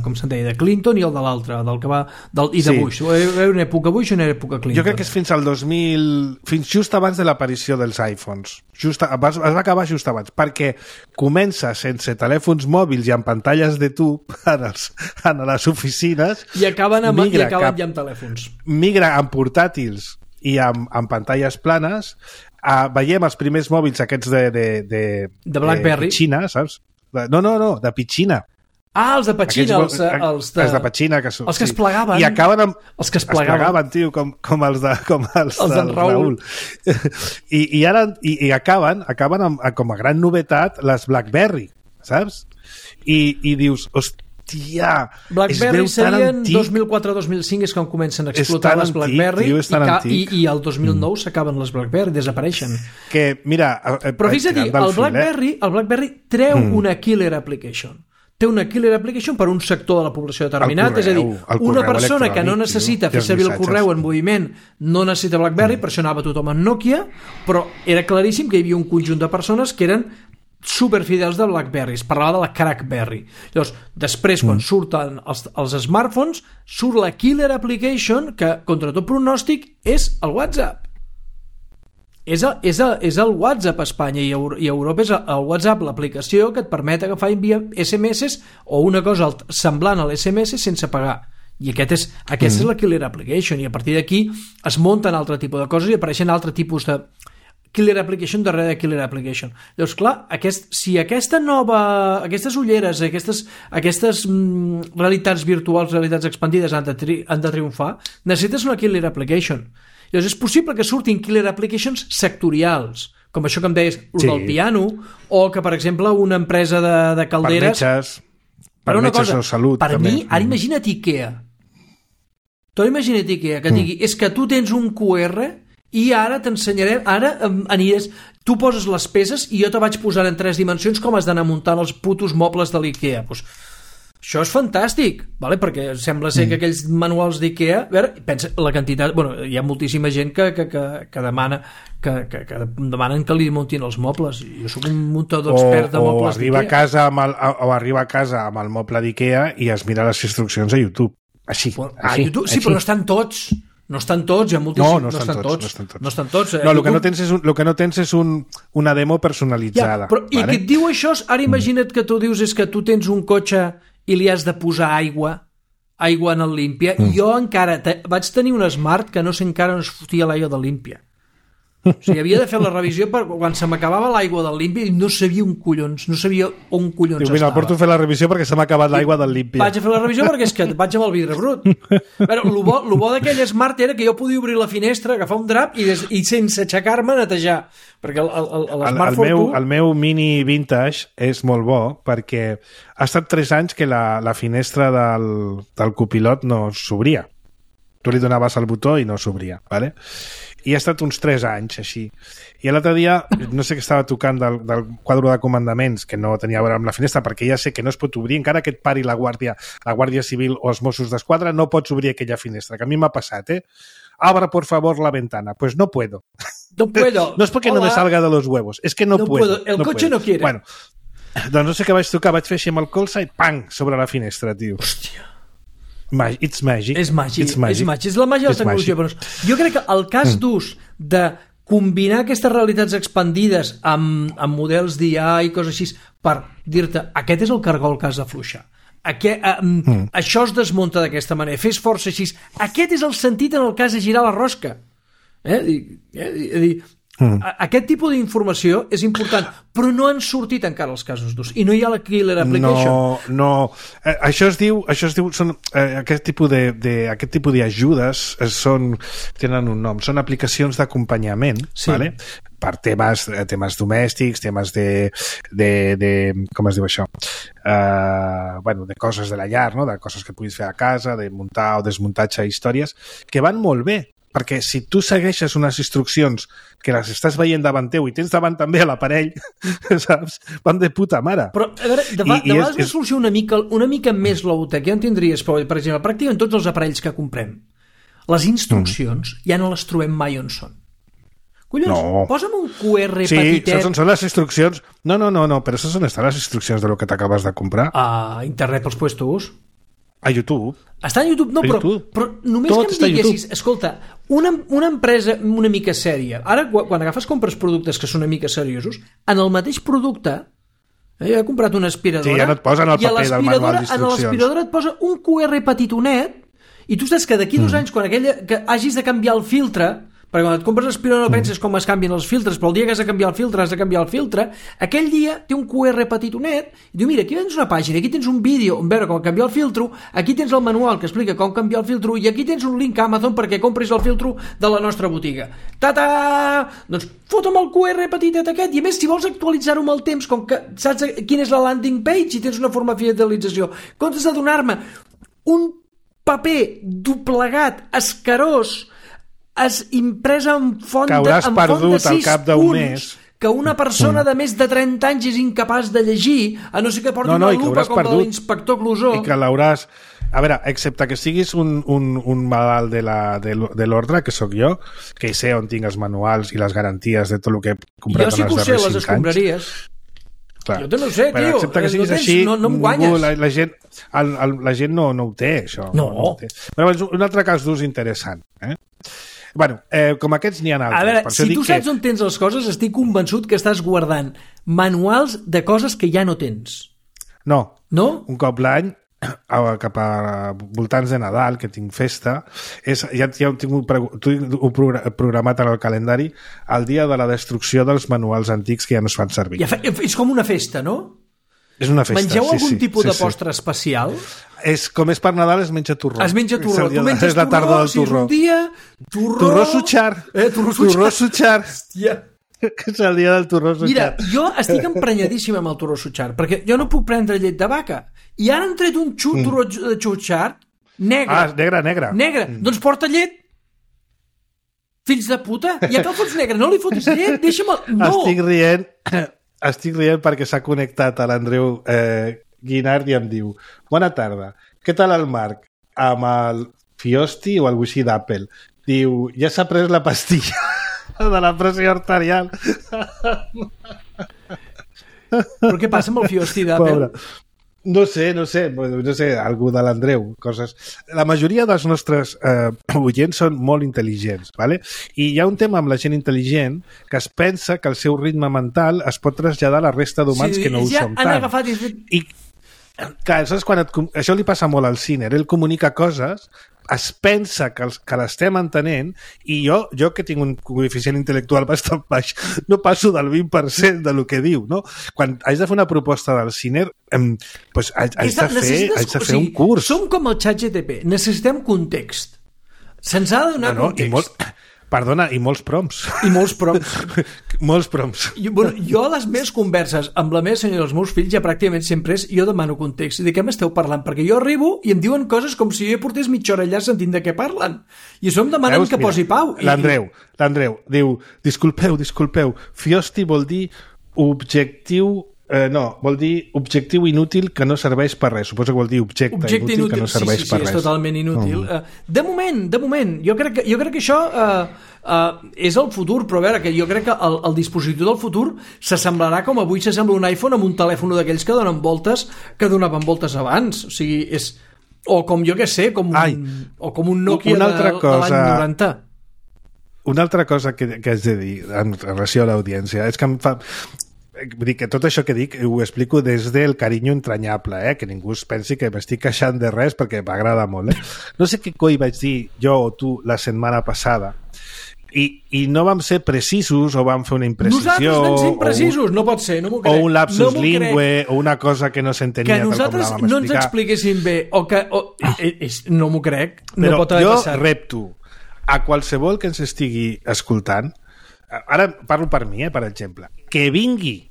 com se'n deia, de Clinton i el de l'altre, i de Bush. Una època Bush i una època Clinton. Jo crec que és fins al 2000, fins just abans de l'aparició dels iPhones. Es va acabar just abans, perquè comença sense telèfons mòbils i amb pantalles de tub en les oficines i acaben ja amb telèfons. Migra amb portàtils i amb pantalles planes, veiem els primers mòbils aquests de BlackBerry. Pitxina, saps? De Pitxina. Els de Petxina, els de Petxina, que els que es plegaven. I acaben amb... Els que es plegaven, tio, com els d'en Raül. I acaben amb, com a gran novetat, les BlackBerry, saps? I dius, hòstia, BlackBerry serien 2004-2005 és quan comencen a explotar les BlackBerry i el 2009 s'acaben les BlackBerry, desapareixen. Que, mira... Però fixa't, el BlackBerry treu una killer application. Té una killer application per un sector de la població determinat, és a dir, una persona que no necessita fer servir el correu en moviment no necessita BlackBerry, per això anava tothom en Nokia, però era claríssim que hi havia un conjunt de persones que eren superfidels de BlackBerry, es parlava de la Crackberry. Llavors, després, quan surten els smartphones, surt la killer application que, contra tot pronòstic, és el WhatsApp. És el WhatsApp a Espanya i a Europa és el WhatsApp, l'aplicació que et permet agafar i enviar SMS o una cosa semblant a l'SMS sense pagar. I aquesta és la killer application, i a partir d'aquí es munten altre tipus de coses i apareixen altre tipus de killer application darrere de killer application. Llavors, clar, si aquestes ulleres, aquestes realitats virtuals, realitats expandides han de triomfar, necessites una killer application. Llavors, és possible que surtin killer applications sectorials, com això que em deies, del piano, o que, per exemple, una empresa de calderes... Per metges o salut. Per mi, ara imagina't IKEA. Tu imagina't IKEA, que et digui, és que tu tens un QR i ara t'ensenyarem, ara aniràs, tu poses les peces i jo te vaig posar en 3 dimensions com has d'anar muntant els putos mobles de l'IKEA. Pues, això és fantàstic, ¿vale? Perquè sembla ser que aquells manuals d'IKEA, a veure, pensa la quantitat, bueno, hi ha moltíssima gent que demanen que li muntin els mobles. Jo soc un muntador expert de mobles d'IKEA. O arriba a casa amb el moble d'IKEA i es mira les instruccions a YouTube. Així. YouTube, sí, però no estan tots. No estan tots, hi ha moltíssims. No estan tots. No, el que no tens és una demo personalitzada. Ja, però, i que et diu això, ara imagina't que tu dius és que tu tens un cotxe i li has de posar aigua en el Límpia. Jo encara vaig tenir un Smart que no sé encara on es fotia l'aigua de Límpia. O sigui, havia de fer la revisió quan se m'acabava l'aigua del Límpia i no sabia on collons estava. Mira, porto a fer la revisió perquè se m'ha acabat l'aigua del Límpia. Vaig a fer la revisió perquè és que vaig amb el vidre brut. El bo d'aquell Smart era que jo podia obrir la finestra, agafar un drap i sense aixecar-me netejar. Perquè el meu Mini Vintage és molt bo perquè ha estat 3 anys que la finestra del copilot no s'obria. Tu li donaves el botó i no s'obria, ¿vale? I ha estat uns 3 anys així. I l'altre dia, no sé què estava tocant del quadre de comandaments, que no tenia a veure amb la finestra, perquè ja sé que no es pot obrir, encara que et pari la Guàrdia Civil o els Mossos d'Esquadra, no pots obrir aquella finestra, que a mi m'ha passat, Abra, por favor, la ventana. Pues no puedo. No puedo. No es porque no me salga de los huevos, es que no puedo. El coche no quiere. Bueno, doncs no sé què vaig tocar, vaig fer així amb el colze i pang, sobre la finestra, tio. Hòstia. It's magic. És la màgia de la tecnologia. Jo crec que el cas d'ús de combinar aquestes realitats expandides amb models d'IA i coses així per dir-te, aquest és el cargol que has d'afluixar. Això es desmunta d'aquesta manera, fes força així. Aquest és el sentit en el cas de girar la rosca. Aquest tipus d'informació és important, però no han sortit encara els casos d'ús i no hi ha la killer application. No. Això es diu són, aquest tipus d'ajudes tenen un nom, són aplicacions d'acompanyament, sí. Vale? Per temes domèstics, temes de com es diu això? De coses de la llar, no? De coses que puguis fer a casa, de muntar o desmuntatge històries, que van molt bé, perquè si tu segueixes unes instruccions que les estàs veient davant teu i tens davant també a l'aparell, saps? Van de puta mare. Però, a veure, de vegades una solució una mica més low-tech, ja en tindries, per exemple, pràcticament tots els aparells que comprem, les instruccions ja no les trobem mai on són. Collons, posa'm un QR petitet. Sí, són les instruccions. No, però això són estan les instruccions de lo que t'acabes de comprar. A internet pels puestos. A YouTube. Està a YouTube? No, però només tot que em diguessis, escolta, una empresa una mica sèria, ara quan compres productes que són una mica seriosos, en el mateix producte, jo he comprat una aspiradora, ja no et posen el paper del manual d'instruccions. En l'aspiradora et posa un QR petitonet i tu saps que d'aquí 2 anys, quan que hagis de canviar el filtre, perquè quan et compres l'aspiradora no penses com es canvien els filtres, però el dia que has de canviar el filtre has de canviar el filtre, aquell dia té un QR petitonet i diu, mira, aquí tens una pàgina, aquí tens un vídeo on veure com canviar el filtro, aquí tens el manual que explica com canviar el filtro i aquí tens un link a Amazon perquè compris el filtro de la nostra botiga. Ta-ta! Doncs fota'm el QR petitet aquest i a més si vols actualitzar-ho amb el temps, com que saps quina és la landing page i tens una forma de fidelització, comptes de donar-me un paper doblegat, escarós, es impresa en font de 6 punts que una persona de més de 30 anys és incapaç de llegir, a no ser que porti una lupa com la de l'inspector Clouseau. I que l'hauràs... A veure, excepte que siguis un malalt de l'ordre, que sóc jo, que sé on tinc els manuals i les garanties de tot el que he comprat en els darrers 5 anys. Jo sí que ho sé, les escombraries. Clar. Jo no sé, tio. Excepte que siguis així, no em guanyes. La gent no ho té, això. No ho té. Però un altre cas d'ús interessant, Bueno, com aquests n'hi ha altres. A veure, si tu saps on tens les coses, estic convençut que estàs guardant manuals de coses que ja no tens. No. No? Un cop l'any, cap a voltants de Nadal, que tinc festa, ja ho tinc programat en el calendari, el dia de la destrucció dels manuals antics que ja no es fan servir. És com una festa, no? És una festa, Mengeu algun tipus de postre especial? Com és per Nadal, es menja torró. Es menja torró. Tu menges la tardor del torró. Si és un dia, torró sutxar. Torró sutxar. Hòstia. Que és el dia del torró sutxar. Mira, jo estic emprenyadíssim amb el torró sutxar, perquè jo no puc prendre llet de vaca. I ara han tret un torró de sutxar negre. Negre. Doncs porta llet. Fills de puta. Ja que el fots negre, no li fotis llet, deixa'm... No. Estic rient perquè s'ha connectat a l'Andreu Guinard i em diu: bona tarda, què tal el Marc? Amb el Fiosti o el Wi-Fi d'Apple? Diu, ja s'ha pres la pastilla de la pressió arterial. Però què passa amb el Fiosti d'Apple? No sé, algú de l'Andreu, coses... La majoria dels nostres oients són molt intel·ligents, ¿vale? I hi ha un tema amb la gent intel·ligent que es pensa que el seu ritme mental es pot traslladar a la resta d'humans que no ho som tant. I clar, saps, això li passa molt al Ciner, ell comunica coses, es pensa que l'estem entenent i jo que tinc un coeficient intel·lectual bastant baix, no passo del 20% de lo que diu, no? Quan haig de fer una proposta del Ciner, pues haig de fer un curs. Som com el ChatGPT, necessitem context. Se'ns ha de donar context. I molts prompts. I molts prompts. Molts prompts. Jo a les meves converses amb la meva senyora i els meus fills ja pràcticament sempre jo demano context. De què m'esteu parlant? Perquè jo arribo i em diuen coses com si jo portés mitja hora allà sentint de què parlen. I això em demanen que posi pau. L'Andreu diu, disculpeu, Fiosti vol dir objectiu... vol dir objectiu inútil que no serveix per res. Suposo que vol dir objecte inútil que no serveix per res. Sí, és totalment inútil. De moment, jo crec que això és el futur, però a veure, que jo crec que el dispositiu del futur s'assemblarà com avui s'assembla un iPhone amb un telèfon d'aquells que donen voltes, que donaven voltes abans. O sigui, és... O com jo que sé, com un Nokia de l'any 90. una altra cosa que haig de dir en relació a l'audiència és que em fa... Vull dir que tot això que dic ho explico des del carinyo entranyable, que ningú es pensi que m'estic queixant de res perquè m'agrada molt. No sé què coi vaig dir jo o tu la setmana passada i no vam ser precisos o vam fer una imprecisió... Nosaltres vam ser imprecisos, no pot ser, no m'ho crec. O un lapsus lingüe o una cosa que no s'entenia tal com la vam explicar. Que nosaltres no ens expliquéssim bé o que... no m'ho crec, no pot haver passat. Però jo repto a qualsevol que ens estigui escoltant, ara parlo per mi, per exemple, que vingui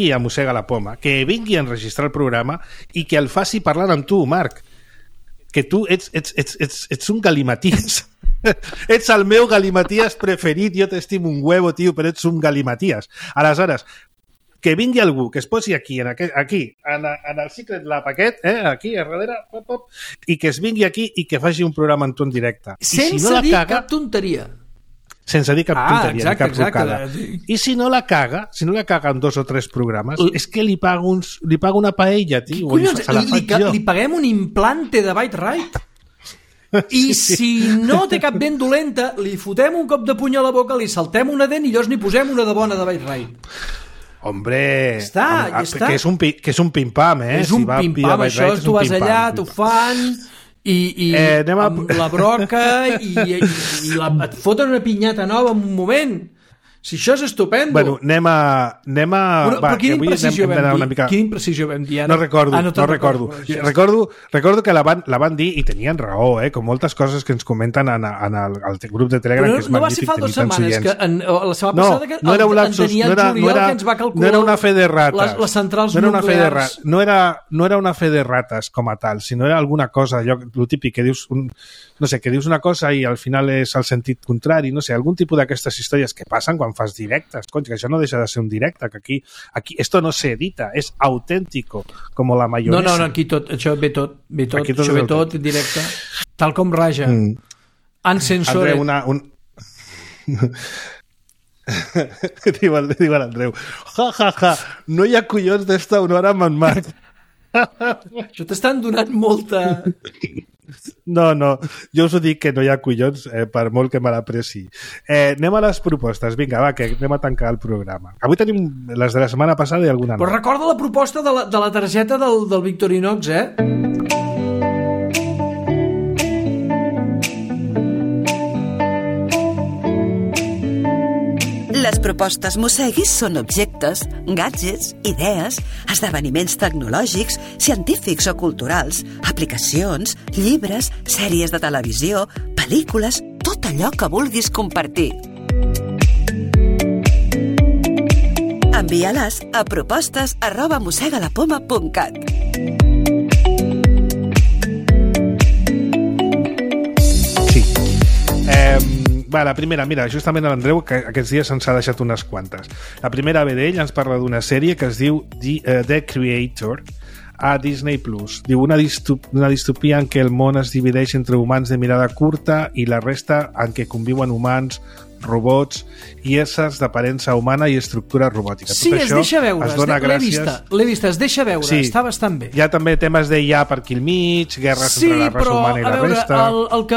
a Mossega la Poma, que vingui a enregistrar el programa i que el faci parlant amb tu, Marc. Que tu ets un galimaties. Ets el meu galimaties preferit, jo t'estimo un huevo, tio, però ets un galimaties. Aleshores, que vingui algú que es posi aquí, en el Secret Lab aquest, aquí a darrere, i que es vingui aquí i que faci un programa amb tu en directe. Sense dir cap tonteria. Sense dir cap tonteria, exacte, cap trucada. I si no la caga en 2 o 3 programes, és que li pago una paella, tio. Collons, li paguem un implante de Byte Right? I si no té cap dent dolenta, li fotem un cop de puny a la boca, li saltem una dent i llavors n'hi posem una de bona de Byte Right. Hombre, ja està. Que és un pim-pam, És un pim-pam, això, tu vas allà, t'ho fan... amb la broca i et foten una pinyata nova en un moment. Si això és estupendo. Bueno, anem a... Però quina imprecisió vam dir? Quina imprecisió vam dir ara? No recordo. Recordo que la van dir i tenien raó, com moltes coses que ens comenten en el grup de Telegram, que és magnífic. No va ser fa 2 setmanes, que la setmana passada que no era un lapsus, en Daniel Juriol que ens va calcular no era una fe de rates, les centrals nuclears. No era una fe de rates com a tal, sinó era alguna cosa, allò típic que dius que dius una cosa i al final és el sentit contrari, no sé, algun tipus d'aquestes històries que passen quan fan directes, que això no deixa de ser un directe, que aquí esto no se edita, és auténtico, com la mayonesa. No, aquí això ve tot en directe, tal com raja. Uncensore. Andreu, diu l'Andreu, ja, no hi ha collons d'esta una hora amb en Marc. Això t'estan donant molta... No, jo us ho dic que no hi ha collons per molt que me l'apreci. Anem a les propostes, vinga, va, que anem a tancar el programa. Avui tenim les de la setmana passada i alguna nova. Però recorda la proposta de la targeta del Victorinox, Les propostes Mosseguis són objectes, gadgets, idees, esdeveniments tecnològics, científics o culturals, aplicacions, llibres, sèries de televisió, pel·lícules, tot allò que vulguis compartir. Envia-les a propostes@mossegalapoma.cat. Sí. La primera, mira, justament l'Andreu, que aquests dies ens ha deixat unes quantes. La primera ve d'ell, ens parla d'una sèrie que es diu The Creator, a Disney+. Diu una distopia en què el món es divideix entre humans de mirada curta i la resta en què conviuen humans, robots i éssers d'aparença humana i estructura robòtica. Sí, tot es deixa veure, l'he vista, es deixa veure, sí, està bastant bé. Hi ha també temes d'IA per aquí al mig, guerres entre la raça humana i la resta. El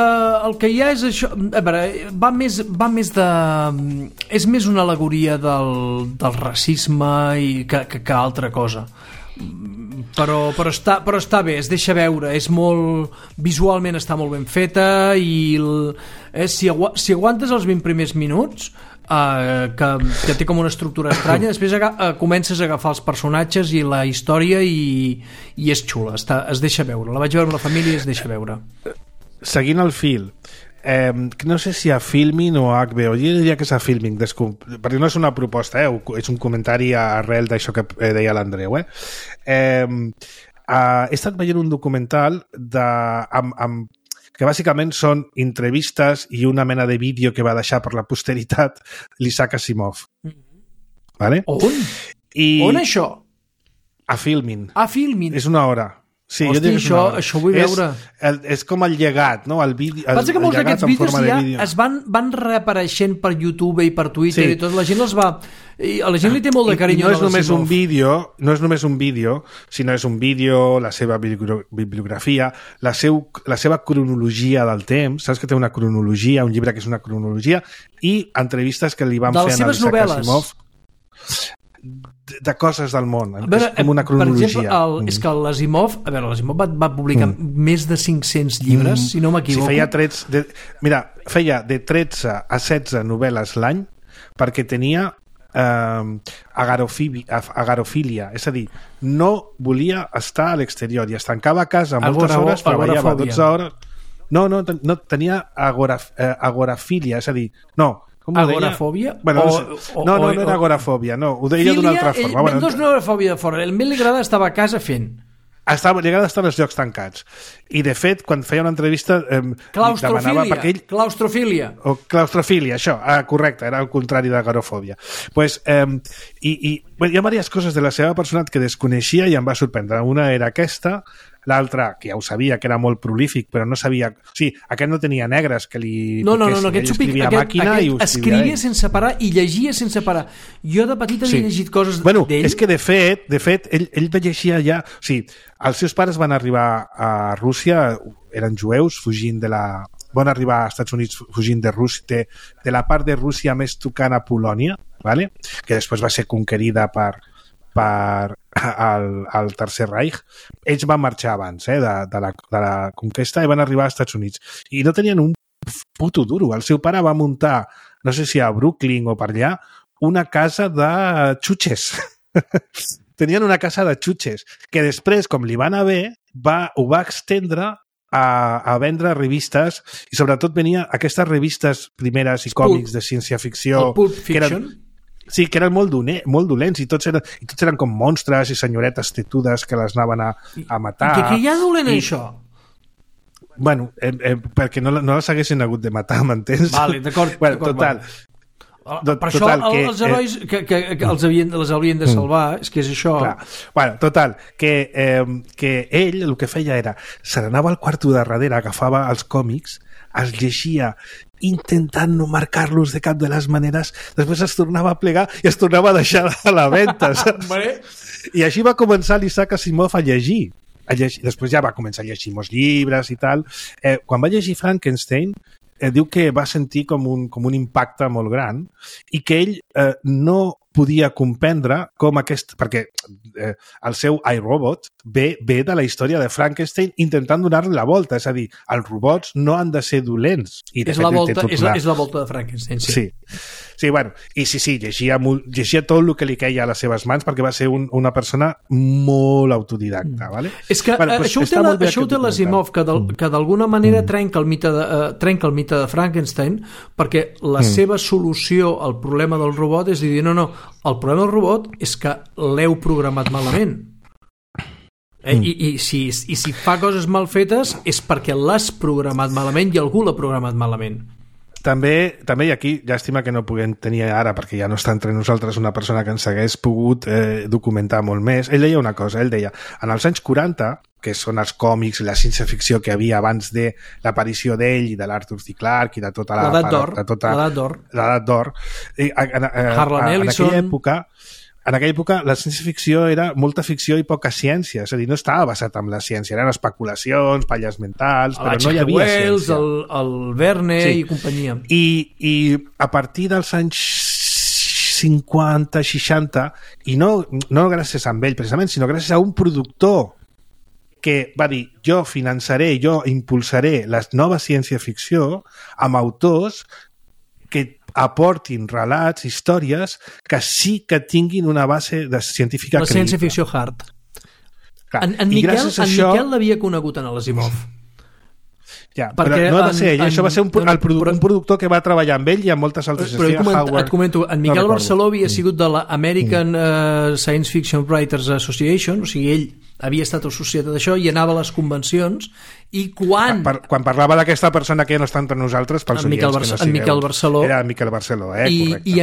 que hi ha és això, a veure, va més de... És més una al·legoria del racisme que altra cosa. Però està bé, es deixa veure, és molt... Visualment està molt ben feta i si aguantes els 20 primers minuts, que té com una estructura estranya, després comences a agafar els personatges i la història i és xula, es deixa veure. La vaig veure amb la família i es deixa veure. Seguint el fil, no sé si a Filmin o a HBO, jo diria que és a Filmin, perquè no és una proposta, és un comentari arrel d'això que deia l'Andreu. He estat veient un documental que bàsicament són entrevistes i una mena de vídeo que va deixar per la posteritat l'Isaac Asimov. Vale? On això? A Filmin. A Filmin. És una hora. Sí, hosti, això ho vull veure. És com el llegat, no? Pensa que molts d'aquests vídeos ja es van reapareixent per YouTube i per Twitter i tot, la gent els va... A la gent li té molt de carinyo. No és només un vídeo, sinó és un vídeo, la seva bibliografia, la seva cronologia del temps, saps que té una cronologia, un llibre que és una cronologia, i entrevistes que li van fer a Isaac Asimov de coses del món, com una cronologia. Per exemple, és que l'Asimov va publicar més de 500 llibres, si no m'equivoco. Feia de 13 a 16 novel·les l'any perquè tenia agarofília, és a dir, no volia estar a l'exterior i es tancava a casa moltes hores, treballava 12 hores. No, tenia agorafília, és a dir, agorafòbia? No era agorafòbia, no, ho deia d'una altra forma. No és una agorafòbia de fora, el li agrada estar a casa fent. Li agrada estar als llocs tancats. I, de fet, quan feia una entrevista... Claustrofília. Claustrofília, això. Correcte, era el contrari d'agorafòbia. Hi ha diverses coses de la seva personalitat que desconeixia i em va sorprendre. Una era aquesta, l'altra, que ja ho sabia, que era molt prolífic, però no sabia... O sigui, aquest no tenia negres que li toquessin. Ell escrivia a màquina i ho escrivia sense parar i llegia sense parar. Jo de petit havia llegit coses d'ell. És que de fet, ell va llegir ja... O sigui, els seus pares van arribar a Rússia, eren jueus, fugint de la... Van arribar als Estats Units fugint de Rússia, de la part de Rússia més tocant a Polònia, ¿vale? Que després va ser conquerida per al Tercer Reich. Ells van marxar abans de la conquesta i van arribar als Estats Units i no tenien un puto duro. El seu pare va muntar, no sé si a Brooklyn o per allà, una casa de xutxes. Tenien una casa de xutxes que després, com li va anar bé, ho va extendre a vendre revistes i sobretot venia aquestes revistes primeres i còmics de ciència-ficció que eren molt dolents i tots eren com monstres i senyoretes tetudes que les anaven a matar. Què hi ha dolent en això? Bueno, perquè no les haguessin hagut de matar, m'entens? Vale, d'acord. Total. Per això els herois que les havien de salvar, és que és això. Total, que ell el que feia era, se n'anava al quarto de darrere, agafava els còmics, els llegia intentant no marcar-los de cap de les maneres, després es tornava a plegar i es tornava a deixar a la venda, saps? I així va començar l'Isaac Asimov a llegir. Després ja va començar a llegir molts llibres i tal. Quan va llegir Frankenstein, diu que va sentir com un impacte molt gran i que ell no podia comprendre com perquè el seu iRobot ve de la història de Frankenstein intentant donar-li la volta, és a dir, els robots no han de ser dolents. És la volta de Frankenstein, sí. Sí, bueno, i sí, llegia tot el que li queia a les seves mans perquè va ser una persona molt autodidacta, ¿vale? És que això ho té l'Asimov, que d'alguna manera trenca el mite de Frankenstein, perquè la seva solució al problema del robot és dir, no, el problema del robot és que l'heu programat malament. I si fa coses mal fetes és perquè l'has programat malament i algú l'ha programat malament. També, i aquí, llàstima que no puguem tenir ara, perquè ja no està entre nosaltres una persona que ens hagués pogut documentar molt més. Ell deia una cosa, en els anys 40, que són els còmics i la ciència-ficció que hi havia abans de l'aparició d'ell i de l'Arthur C. Clarke i de tota l'edat d'or. Harlan Ellison. En aquella època la ciència-ficció era molta ficció i poca ciència, és a dir, no estava basat en la ciència, eren especulacions, palles mentals, però no hi havia ciència. El Verne i companyia. I a partir dels anys 50, 60, i no gràcies a ell precisament, sinó gràcies a un productor que va dir, jo finançaré, jo impulsaré la nova ciència-ficció amb autors que aportin relats, històries que sí que tinguin una base científica creïble. La ciència-ficció hard. En Miquel l'havia conegut en l'Asimov. Ja, però no va ser ell, això va ser un productor que va treballar amb ell i amb moltes altres. Però et comento, en Miquel Barceló havia sigut de l'American Science Fiction Writers Association, o sigui, ell havia estat associat a això i anava a les convencions, i quan parlava d'aquesta persona que ja no està entre nosaltres, pels oients que no sigueu, en Miquel Barceló, era Miquel Barceló, correcte. I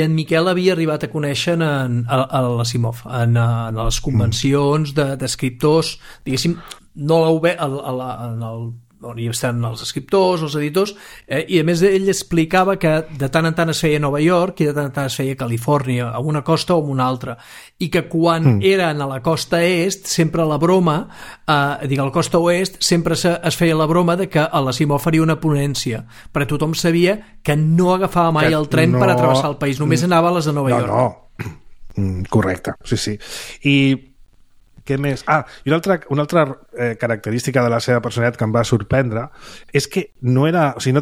en Miquel havia arribat a conèixer a l'Asimov en les convencions d'escriptors, diguéssim, no on hi estan els escriptors, els editors, i a més ell explicava que de tant en tant es feia a Nova York i de tant en tant es feia a Califòrnia, a una costa o a una altra, i que quan eren a la costa est, sempre la broma, a la costa oest, sempre es feia la broma de que a l'Asimov faria una ponència, perquè tothom sabia que no agafava mai el tren per atravessar el país, només anava a les de Nova York. Correcte, sí. I què més? I una altra característica de la seva personalitat que em va sorprendre és que no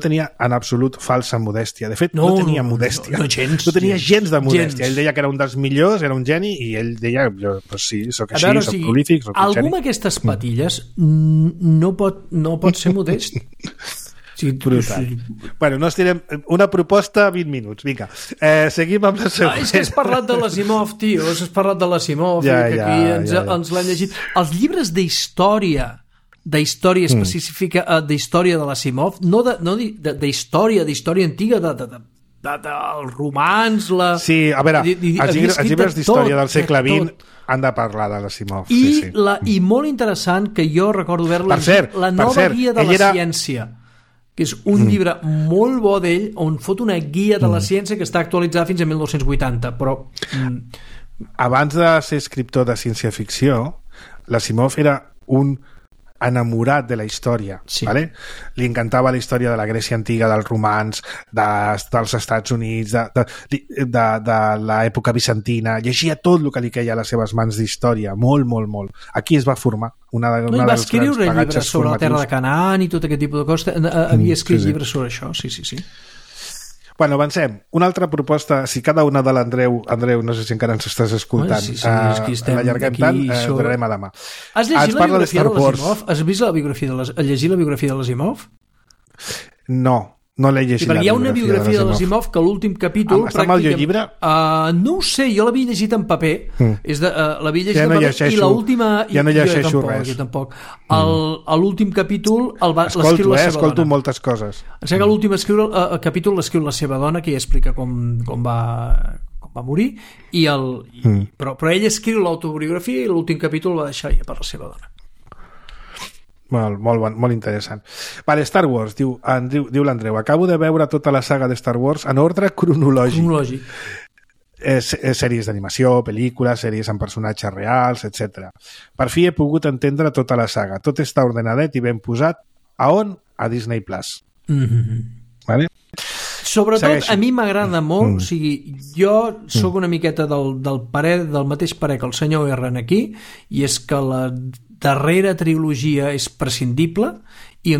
tenia en absolut falsa modèstia. De fet, no tenia modèstia. No tenia gens de modèstia. Ell deia que era un dels millors, era un geni, i ell deia, pues sí, soc així, soc prolífic, soc un geni. Algú amb aquestes patilles no pot ser modest. Sí, brutal. Bueno, no estirem... Una proposta, 20 minuts. Vinga, seguim amb la següent. És que has parlat de l'Asimov, tio. Has parlat de l'Asimov, que aquí ens l'han llegit. Els llibres d'història específica, d'història de l'Asimov, no d'història antiga, del romans... Sí, a veure, els llibres d'història del segle XX han de parlar de l'Asimov. I molt interessant, que jo recordo haver-lo llegit, La nova guia de la ciència, que és un llibre molt bo d'ell, on fot una guia de la ciència que està actualitzada fins a 1980, però... Abans de ser escriptor de ciència-ficció, l'Asimov era un enamorat de la història, ¿vale? Li encantava la història de la Grècia antiga, dels romans, dels Estats Units, de l'època bizantina, llegia tot el que li queia a les seves mans d'història, molt. Aquí es va formar. Va escriure llibres sobre la terra de Canaan i tot aquest tipus de coses. Havia escrit llibres sobre això, sí. Bueno, avancem. Una altra proposta, si cada una de l'Andreu, no sé si encara ens estàs escoltant, l'allarguem tant, donarem a demà. Has llegit la biografia de l'Asimov? Has vist la biografia llegit la biografia de l'Asimov? No l'he llegit. Perquè hi ha una biografia de l'Asimov que l'últim capítol... Està mal el llibre? No ho sé, jo l'havia llegit en paper. L'havia llegit en paper i l'última... Ja no llegeixo res. Jo tampoc. L'últim capítol l'escriu la seva dona. Escolto moltes coses. Em sembla que l'últim capítol l'escriu la seva dona, que ja explica com va morir, però ell escriu l'autobiografia i l'últim capítol el va deixar per la seva dona. Molt interessant. Vale, Star Wars, diu l'Andreu, acabo de veure tota la saga de Star Wars en ordre cronològic. Sèries d'animació, pel·lícules, sèries amb personatges reals, etc. Per fi he pogut entendre tota la saga. Tot està ordenadet i ben posat. A on? A Disney Plus. Vale? Sobretot, a mi m'agrada molt, o sigui, jo sóc una miqueta del mateix parer que el senyor R aquí, i és que la darrera trilogia és prescindible i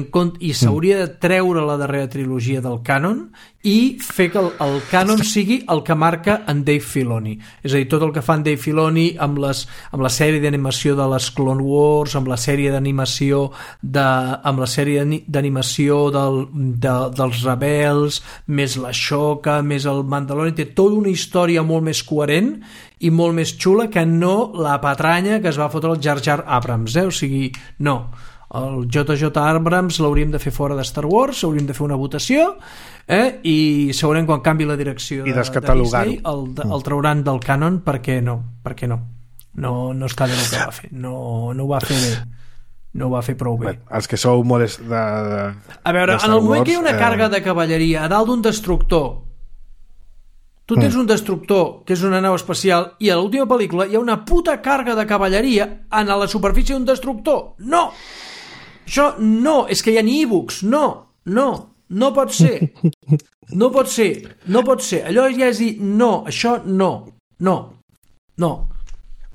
s'hauria de treure la darrera trilogia del cànon i fer que el cànon sigui el que marca en Dave Filoni. És a dir, tot el que fa en Dave Filoni amb la sèrie d'animació de les Clone Wars, amb la sèrie d'animació dels Rebels, més l'Ashoka, més el Mandalorian, té tota una història molt més coherent i molt més xula que no la patranya que es va fotre el Jar Jar Abrams, o sigui, no. El JJ Abrams l'hauríem de fer fora de Star Wars, hauríem de fer una votació i segurament quan canvi la direcció de Disney el trauran del cànon perquè no està bé el que va fer, no ho va fer bé, no ho va fer prou bé. Els que sou molt a veure, en el moment que hi ha una càrrega de cavalleria a dalt d'un destructor, tu tens un destructor que és una nau espacial i a l'última pel·lícula hi ha una puta càrrega de cavalleria en la superfície d'un destructor. No! Això no, és que hi ha ni e-books. No pot ser. No pot ser. Allò ja és dir, no, això no.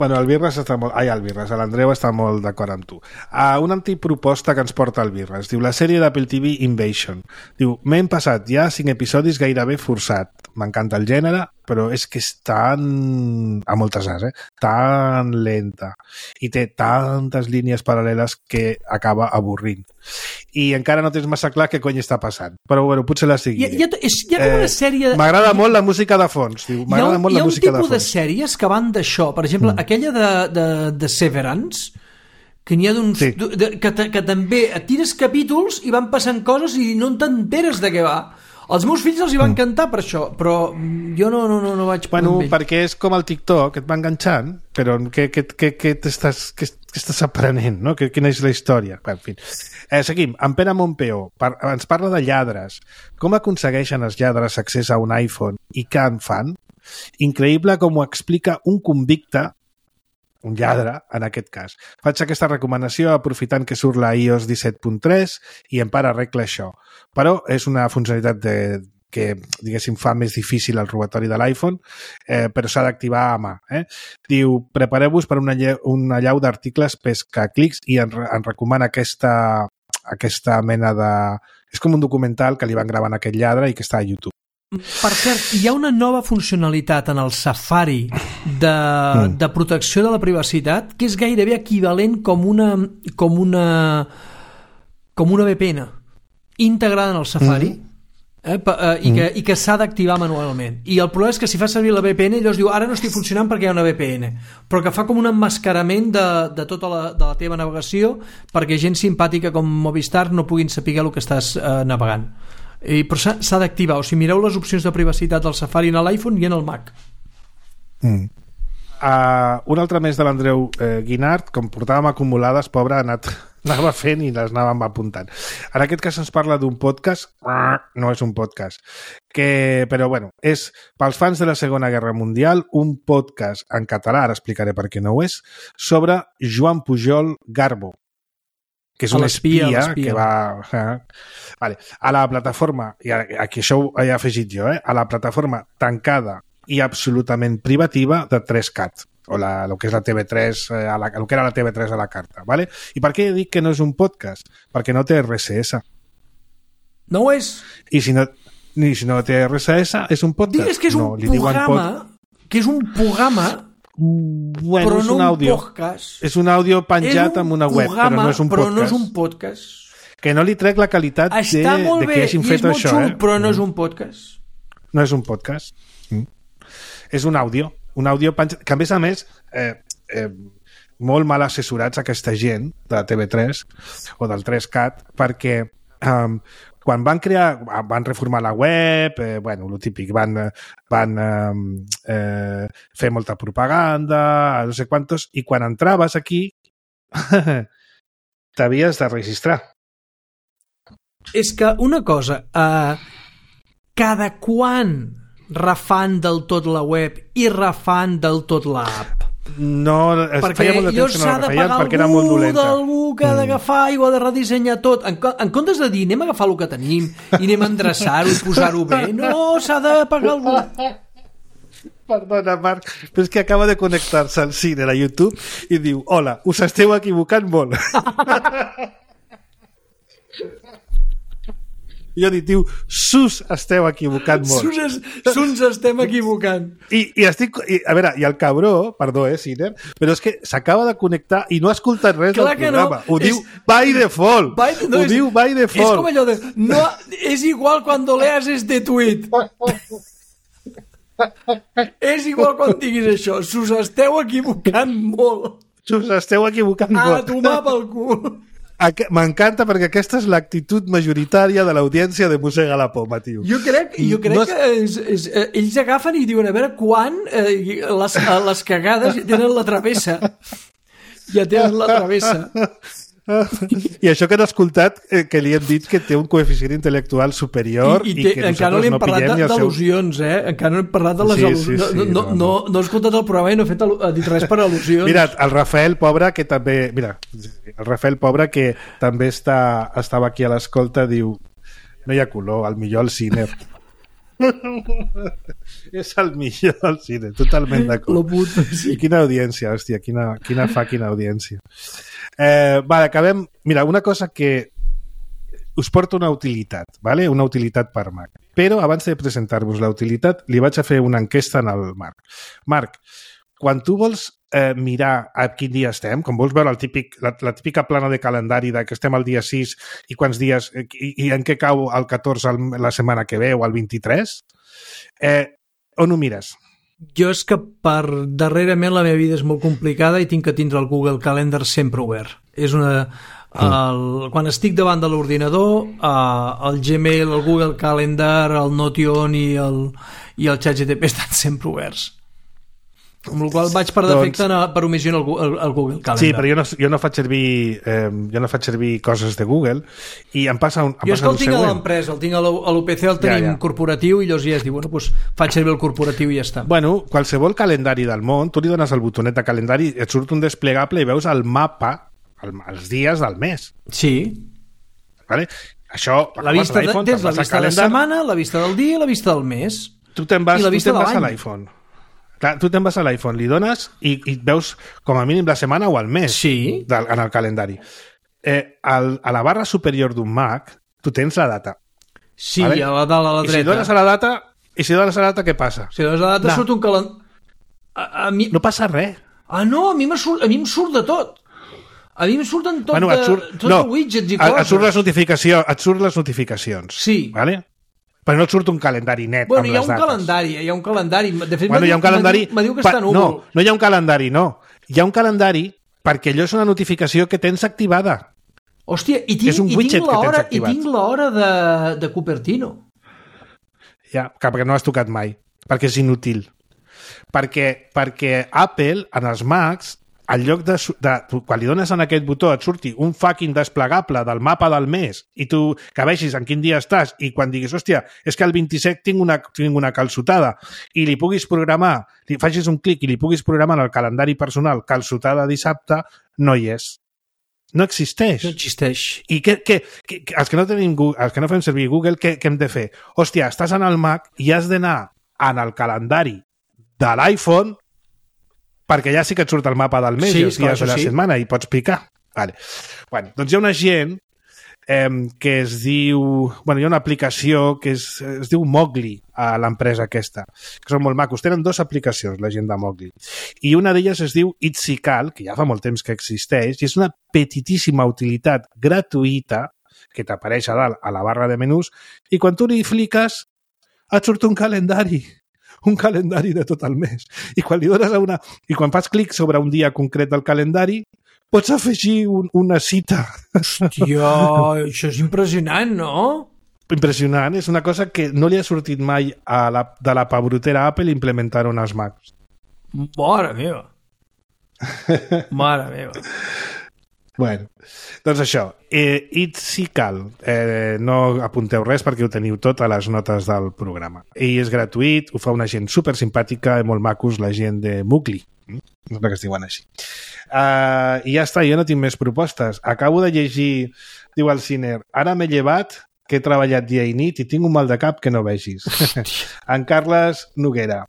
Bueno, el Birras està molt... l'Andreu està molt d'acord amb tu. Una antiproposta que ens porta el Birras. Diu, la sèrie d'Apple TV Invasion. Diu, m'he passat ja 5 episodis gairebé forçat. M'encanta el gènere, però és que és tan... a moltes as, tan lenta. I té tantes línies paral·leles que acaba avorrint. i encara no tens massa clar què cony està passant. Però bueno, potser la seguiré. Hi ha com una sèrie... M'agrada molt la música de fons. M'agrada molt la música de fons. Hi ha un tipus de sèries que van d'això. Per exemple, aquella de Severance, que n'hi ha d'uns... Sí. Que també et tires capítols i van passant coses i no t'enteres de què va. Els meus fills els hi van encantar per això, però jo no vaig... Bueno, perquè és com el TikTok, et va enganxant, però què estàs aprenent, no? Quina és la història? En fi. Seguim. En Pere Montpeó ens parla de lladres. Com aconsegueixen els lladres accés a un iPhone i què en fan? Increïble com ho explica un convicte, un lladre, en aquest cas. Faig aquesta recomanació aprofitant que surt la iOS 17.3 i en Pere arregla això. Però és una funcionalitat que, diguéssim, fa més difícil el robatori de l'iPhone, però s'ha d'activar a mà. Diu, prepareu-vos per una llau d'articles pescaclics i en recomana aquesta mena de... És com un documental que li van gravar en aquest lladre i que està a YouTube. Per cert, hi ha una nova funcionalitat en el Safari de protecció de la privacitat que és gairebé equivalent com una VPN integrada en el Safari i que s'ha d'activar manualment. I el problema és que si fa servir la VPN llavors diu, ara no estic funcionant perquè hi ha una VPN, però que fa com un emmascarament de tota la teva navegació perquè gent simpàtica com Movistar no puguin saber el que estàs navegant. Però s'ha d'activar, o sigui, mireu les opcions de privacitat del Safari en l'iPhone i en el Mac. Un altre més de l'Andreu Guinart, com portàvem acumulades, pobre, anava fent i les anàvem apuntant. En aquest cas ens parla d'un podcast, no és un podcast, però bueno, és pels fans de la Segona Guerra Mundial, un podcast en català, ara explicaré per què no ho és, sobre Joan Pujol Garbo, que és un espia que va... Vale. A la plataforma, i aquí això ho he afegit jo, a la plataforma tancada i absolutament privativa de 3CAT, o el que és la TV3, el que era la TV3 a la carta. Vale? I per què dic que no és un podcast? Perquè no té RSS. No ho és. I si no té RSS, és un podcast? Digues que és un programa... Bueno, però és no un àudio. Podcast. És un àudio penjat en una web, però no és un podcast. Però no és un podcast. Que no li trec la qualitat de que hagin fet això. Està molt bé, i és molt xulo, però no és un podcast. No és un podcast. És un àudio penjat, que a més, molt mal assessorats aquesta gent de la TV3 o del 3CAT, perquè quan van reformar la web, bueno, lo típic, van fer molta propaganda, no sé quantos, i quan entraves aquí t'havies de registrar. És que una cosa, cada quan refan del tot la web i refan del tot l'app? No, feia molt de temps que no la refeien perquè era molt dolenta. D'algú que ha d'agafar i ho ha de redissenyar tot. En comptes de dir, anem a agafar el que tenim i anem a endreçar-ho i posar-ho bé, no, s'ha de pagar algú. Perdona, Marc, però és que acaba de connectar-se al cine a YouTube i diu, hola, us esteu equivocant molt. Jo diu, sus esteu equivocant molt. Sus estem equivocant. I a veure, i el cabró, perdó, Ciner, però és que s'acaba de connectar i no ha escoltat res del programa. Ho diu by default. Diu by default. És com allò de, no, és igual cuando leas este tuit. És igual quan diguis això. Sus esteu equivocant molt. Sus esteu equivocant molt. A tomar pel cul. M'encanta perquè aquesta és l'actitud majoritària de l'audiència de Mossega la Poma, tio. Jo crec que ells agafen i diuen a veure quan les cagades ja tenen la travessa. Ja tenen la travessa. I això que no he escoltat, que li hem dit que té un coeficient intel·lectual superior i que encara no li hem parlat d'al·lusions, encara no hem parlat de les al·lusions. No he escoltat el programa i no he dit res per al·lusions. Mira, el Rafael Pobre, que també... Mira, el Rafael Pobre, que també estava aquí a l'escolta, diu, no hi ha color, al millor el Ciner. És el millor el Ciner, totalment d'acord. I quina audiència, hòstia, quina audiència. Vale, acabem... Mira, una cosa que us porta una utilitat, ¿vale? Una utilitat per Mac. Però abans de presentar-vos la utilitat, li vaig a fer una enquesta en el Marc. Marc, quan tu vols mirar a quin dia estem, com vols veure la típica plana de calendari de que estem al dia 6 i quants dies i en què cau el 14 la setmana que ve o el 23, on ho mires? Jo és que darrerament la meva vida és molt complicada i tinc que tindre el Google Calendar sempre obert. És una... quan estic davant de l'ordinador, el Gmail, el Google Calendar, el Notion i el ChatGPT estan sempre oberts. Amb el qual vaig per defecte per omissió el Google Calendar. Sí, però jo no faig servir coses de Google i em passa un jo és que el tinc a l'empresa, el tinc a l'UPC, el tenim corporatiu i llavors ja es diu, faig servir el corporatiu i ja està. Bueno, qualsevol calendari del món, tu li dones el botonet de calendari, et surt un desplegable i veus el mapa, els dies del mes. Sí. Vale? Això, tens la vista de la setmana, la vista del dia i la vista del mes. Tu te'n vas a l'iPhone. Clar, tu te'n vas a l'iPhone, li dones i veus com a mínim la setmana o el mes en el calendari. A la barra superior d'un Mac tu tens la data. Sí, vale? A la dreta. I si dones a la data, què passa? Si dones a la data surt un calendari... No passa res. Ah, no, a mi em surt de tot. A mi em surten tot de widgets i coses. Et surt les notificacions. Sí. Vale? Però no et surt un calendari net amb les dates. Hi ha un calendari. De fet, hi ha un calendari... M'diu que està núvol. No hi ha un calendari, no. Hi ha un calendari perquè allò és una notificació que tens activada. Hòstia, i tinc l'hora de Cupertino. Ja, perquè no has tocat mai. Perquè és inútil. Perquè Apple, en els Macs, en lloc de quan li dones en aquest botó et surti un fucking desplegable del mapa del mes i tu que vegis en quin dia estàs i quan diguis, hòstia, és que el 27 tinc una calçotada i li puguis programar, li facis un clic i li puguis programar en el calendari personal calçotada dissabte, no hi és. No existeix. No existeix. I els que no fem servir Google, què hem de fer? Hòstia, estàs en el Mac i has d'anar en el calendari de l'iPhone perquè ja sí que et surt el mapa del mes i els dies de la setmana i pots picar. Vale. Bueno, doncs hi ha una gent que es diu... Bueno, hi ha una aplicació que es diu Mowgli a l'empresa aquesta, que són molt macos. Tenen 2 aplicacions, la gent de Mowgli. I una d'elles es diu Itsical, que ja fa molt temps que existeix, i és una petitíssima utilitat gratuïta que t'apareix a dalt a la barra de menús i quan tu li cliques et surt un calendari de tot el mes. I quan li dones i quan fas clic sobre un dia concret del calendari, pots afegir una cita. Hòstia, això és impressionant, no? Impressionant. És una cosa que no li ha sortit mai de la pabrotera Apple implementar-ho en els Macs. Mare meva. Mare meva. Bueno, doncs això, Itsical, no apunteu res perquè ho teniu tot a les notes del programa. I és gratuït, ho fa una gent super simpàtica i molt macos, la gent de Mowgli, no sé que es diuen així. I ja està, jo no tinc més propostes. Acabo de llegir, diu el Ciner, ara m'he llevat, que he treballat dia i nit i tinc un mal de cap que no vegis. En Carles Noguera.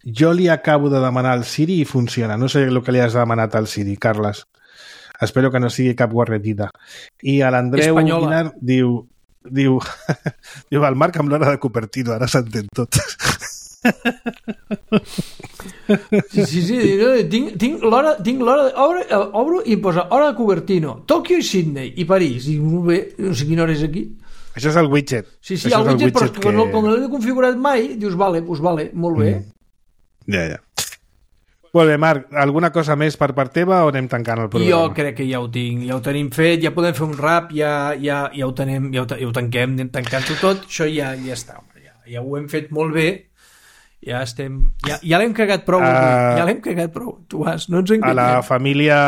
Jo li acabo de demanar al Siri i funciona. No sé el que li has demanat al Siri, Carles. Espero que no sigui cap guarretida. I a l'Andreu Guinar diu el Marc amb l'hora de Cupertino, ara s'entén tot. Sí, tinc l'hora, obro i posa hora de Cupertino, Tòquio i Sydney i París. I bé, no sé quina hora és aquí. Això és el widget. Sí, el widget, però com no l'he configurat mai, dius, vale, molt bé. Ja. Molt bé, Marc, alguna cosa més per part teva o anem tancant el programa? Jo crec que ja ho tinc, ja ho tenim fet, ja podem fer un rap, ja ho tenim, ja ho tanquem, anem tancant-ho tot, això ja està, ja ho hem fet molt bé, ja l'hem cagat prou, tu vas, no ens enganyem. A la família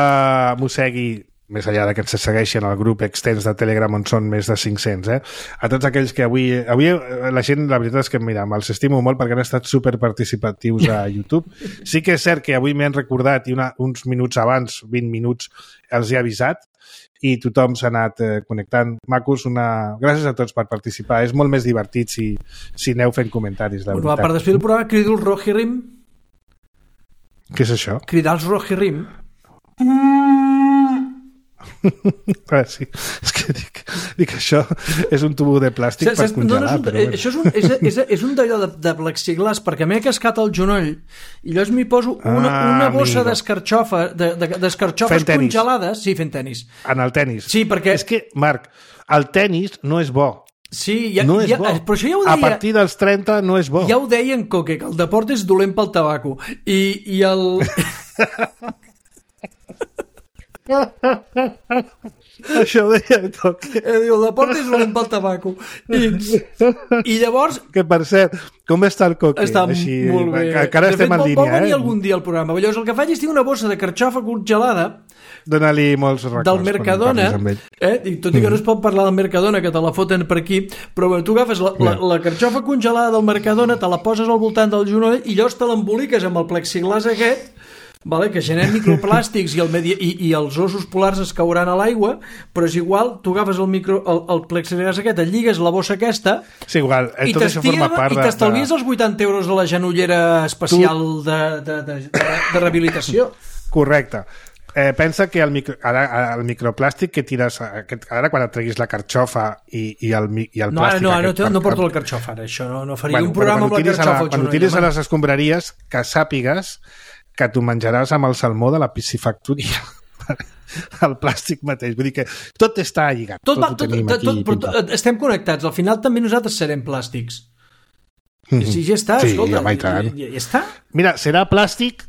Mossegui, més enllà que ens segueixen al grup extens de Telegram on són més de 500, a tots aquells que avui la gent, la veritat és que mira, me'ls estimo molt perquè han estat superparticipatius a YouTube. Sí que és cert que avui m'han recordat i uns minuts abans, 20 minuts, els he avisat i tothom s'ha anat connectant. Macos, gràcies a tots per participar. És molt més divertit si aneu fent comentaris, la veritat. Per després del programa crido els Rohirrim. Què és això? Cridar els Rohirrim. Sí, és que dic això és un tubo de plàstic per congelar. Això és un d'allò de plexiglàs, perquè m'he cascat el genoll i llavors m'hi poso una bossa d'escarxofes congelades. Sí, fent tenis. En el tenis. Sí, perquè... És que, Marc, el tenis no és bo. Sí, no és bo. Però això ja ho deia... A partir dels 30 no és bo. Ja ho deia en Coque, que el deport és dolent pel tabaco. I el... Això ho deia en Coque. El deport és dolent pel tabaco. I llavors... Que, per cert, com està el Coque? Està així, molt bé. Encara estem en línia, vol venir algun dia al programa. Llavors el que faig és tenir una bossa de carxofa congelada. Dóna-li molts records. Del Mercadona, i tot i que no es pot parlar del Mercadona, que te la foten per aquí, però bueno, tu agafes la carxofa congelada del Mercadona, te la poses al voltant del genoll i llavors te l'emboliques amb el plexiglàs aquest, vale, que genera microplàstics i els ossos polars es cauran a l'aigua, però és igual, tu agafes el plexiglàs aquest, et lligues la bossa aquesta, sí, igual, tot això forma part i t'estalvies els 80 euros de la genollera especial de rehabilitació. Correcte. Pensa que el microplàstic que tires ara quan et treguis la carxofa i el plàstic... No porto la carxofa ara, això no faria un programa amb la carxofa. Quan ho tiris a les escombraries, que sàpigues que tu menjaràs amb el salmó de la piscifactoria. El plàstic mateix, vull dir que tot està lligat. Tot ho tenim aquí. Estem connectats, al final també nosaltres serem plàstics. Sí, ja està, escolta, ja està. Mira, serà plàstic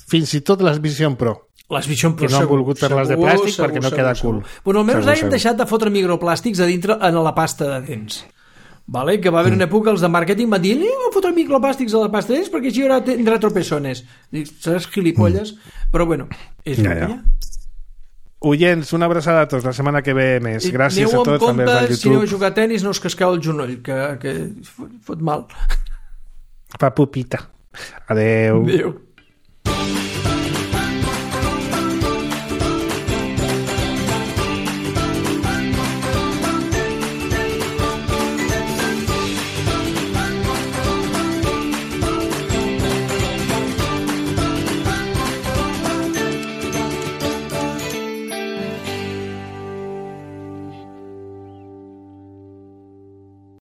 fins i tot les Vision Pro. Les Vision Pro, que no han volgut fer-les de plàstic perquè no queda cool. Bueno, almenys hagin deixat de fotre microplàstics a dintre en la pasta de dents. Vale? Que va haver una època els de màrqueting van dir no fotre microplàstics a la pasta de dents perquè així tindrà tropeçones. Seràs gilipolles, però bueno, és el que hi ha. Oients, una abraçada a tots, la setmana que ve més. Gràcies a tots, també als de YouTube. Si aneu a jugar a tenis no us casqueu el genoll, que fot mal. Pa pupita. Adeu.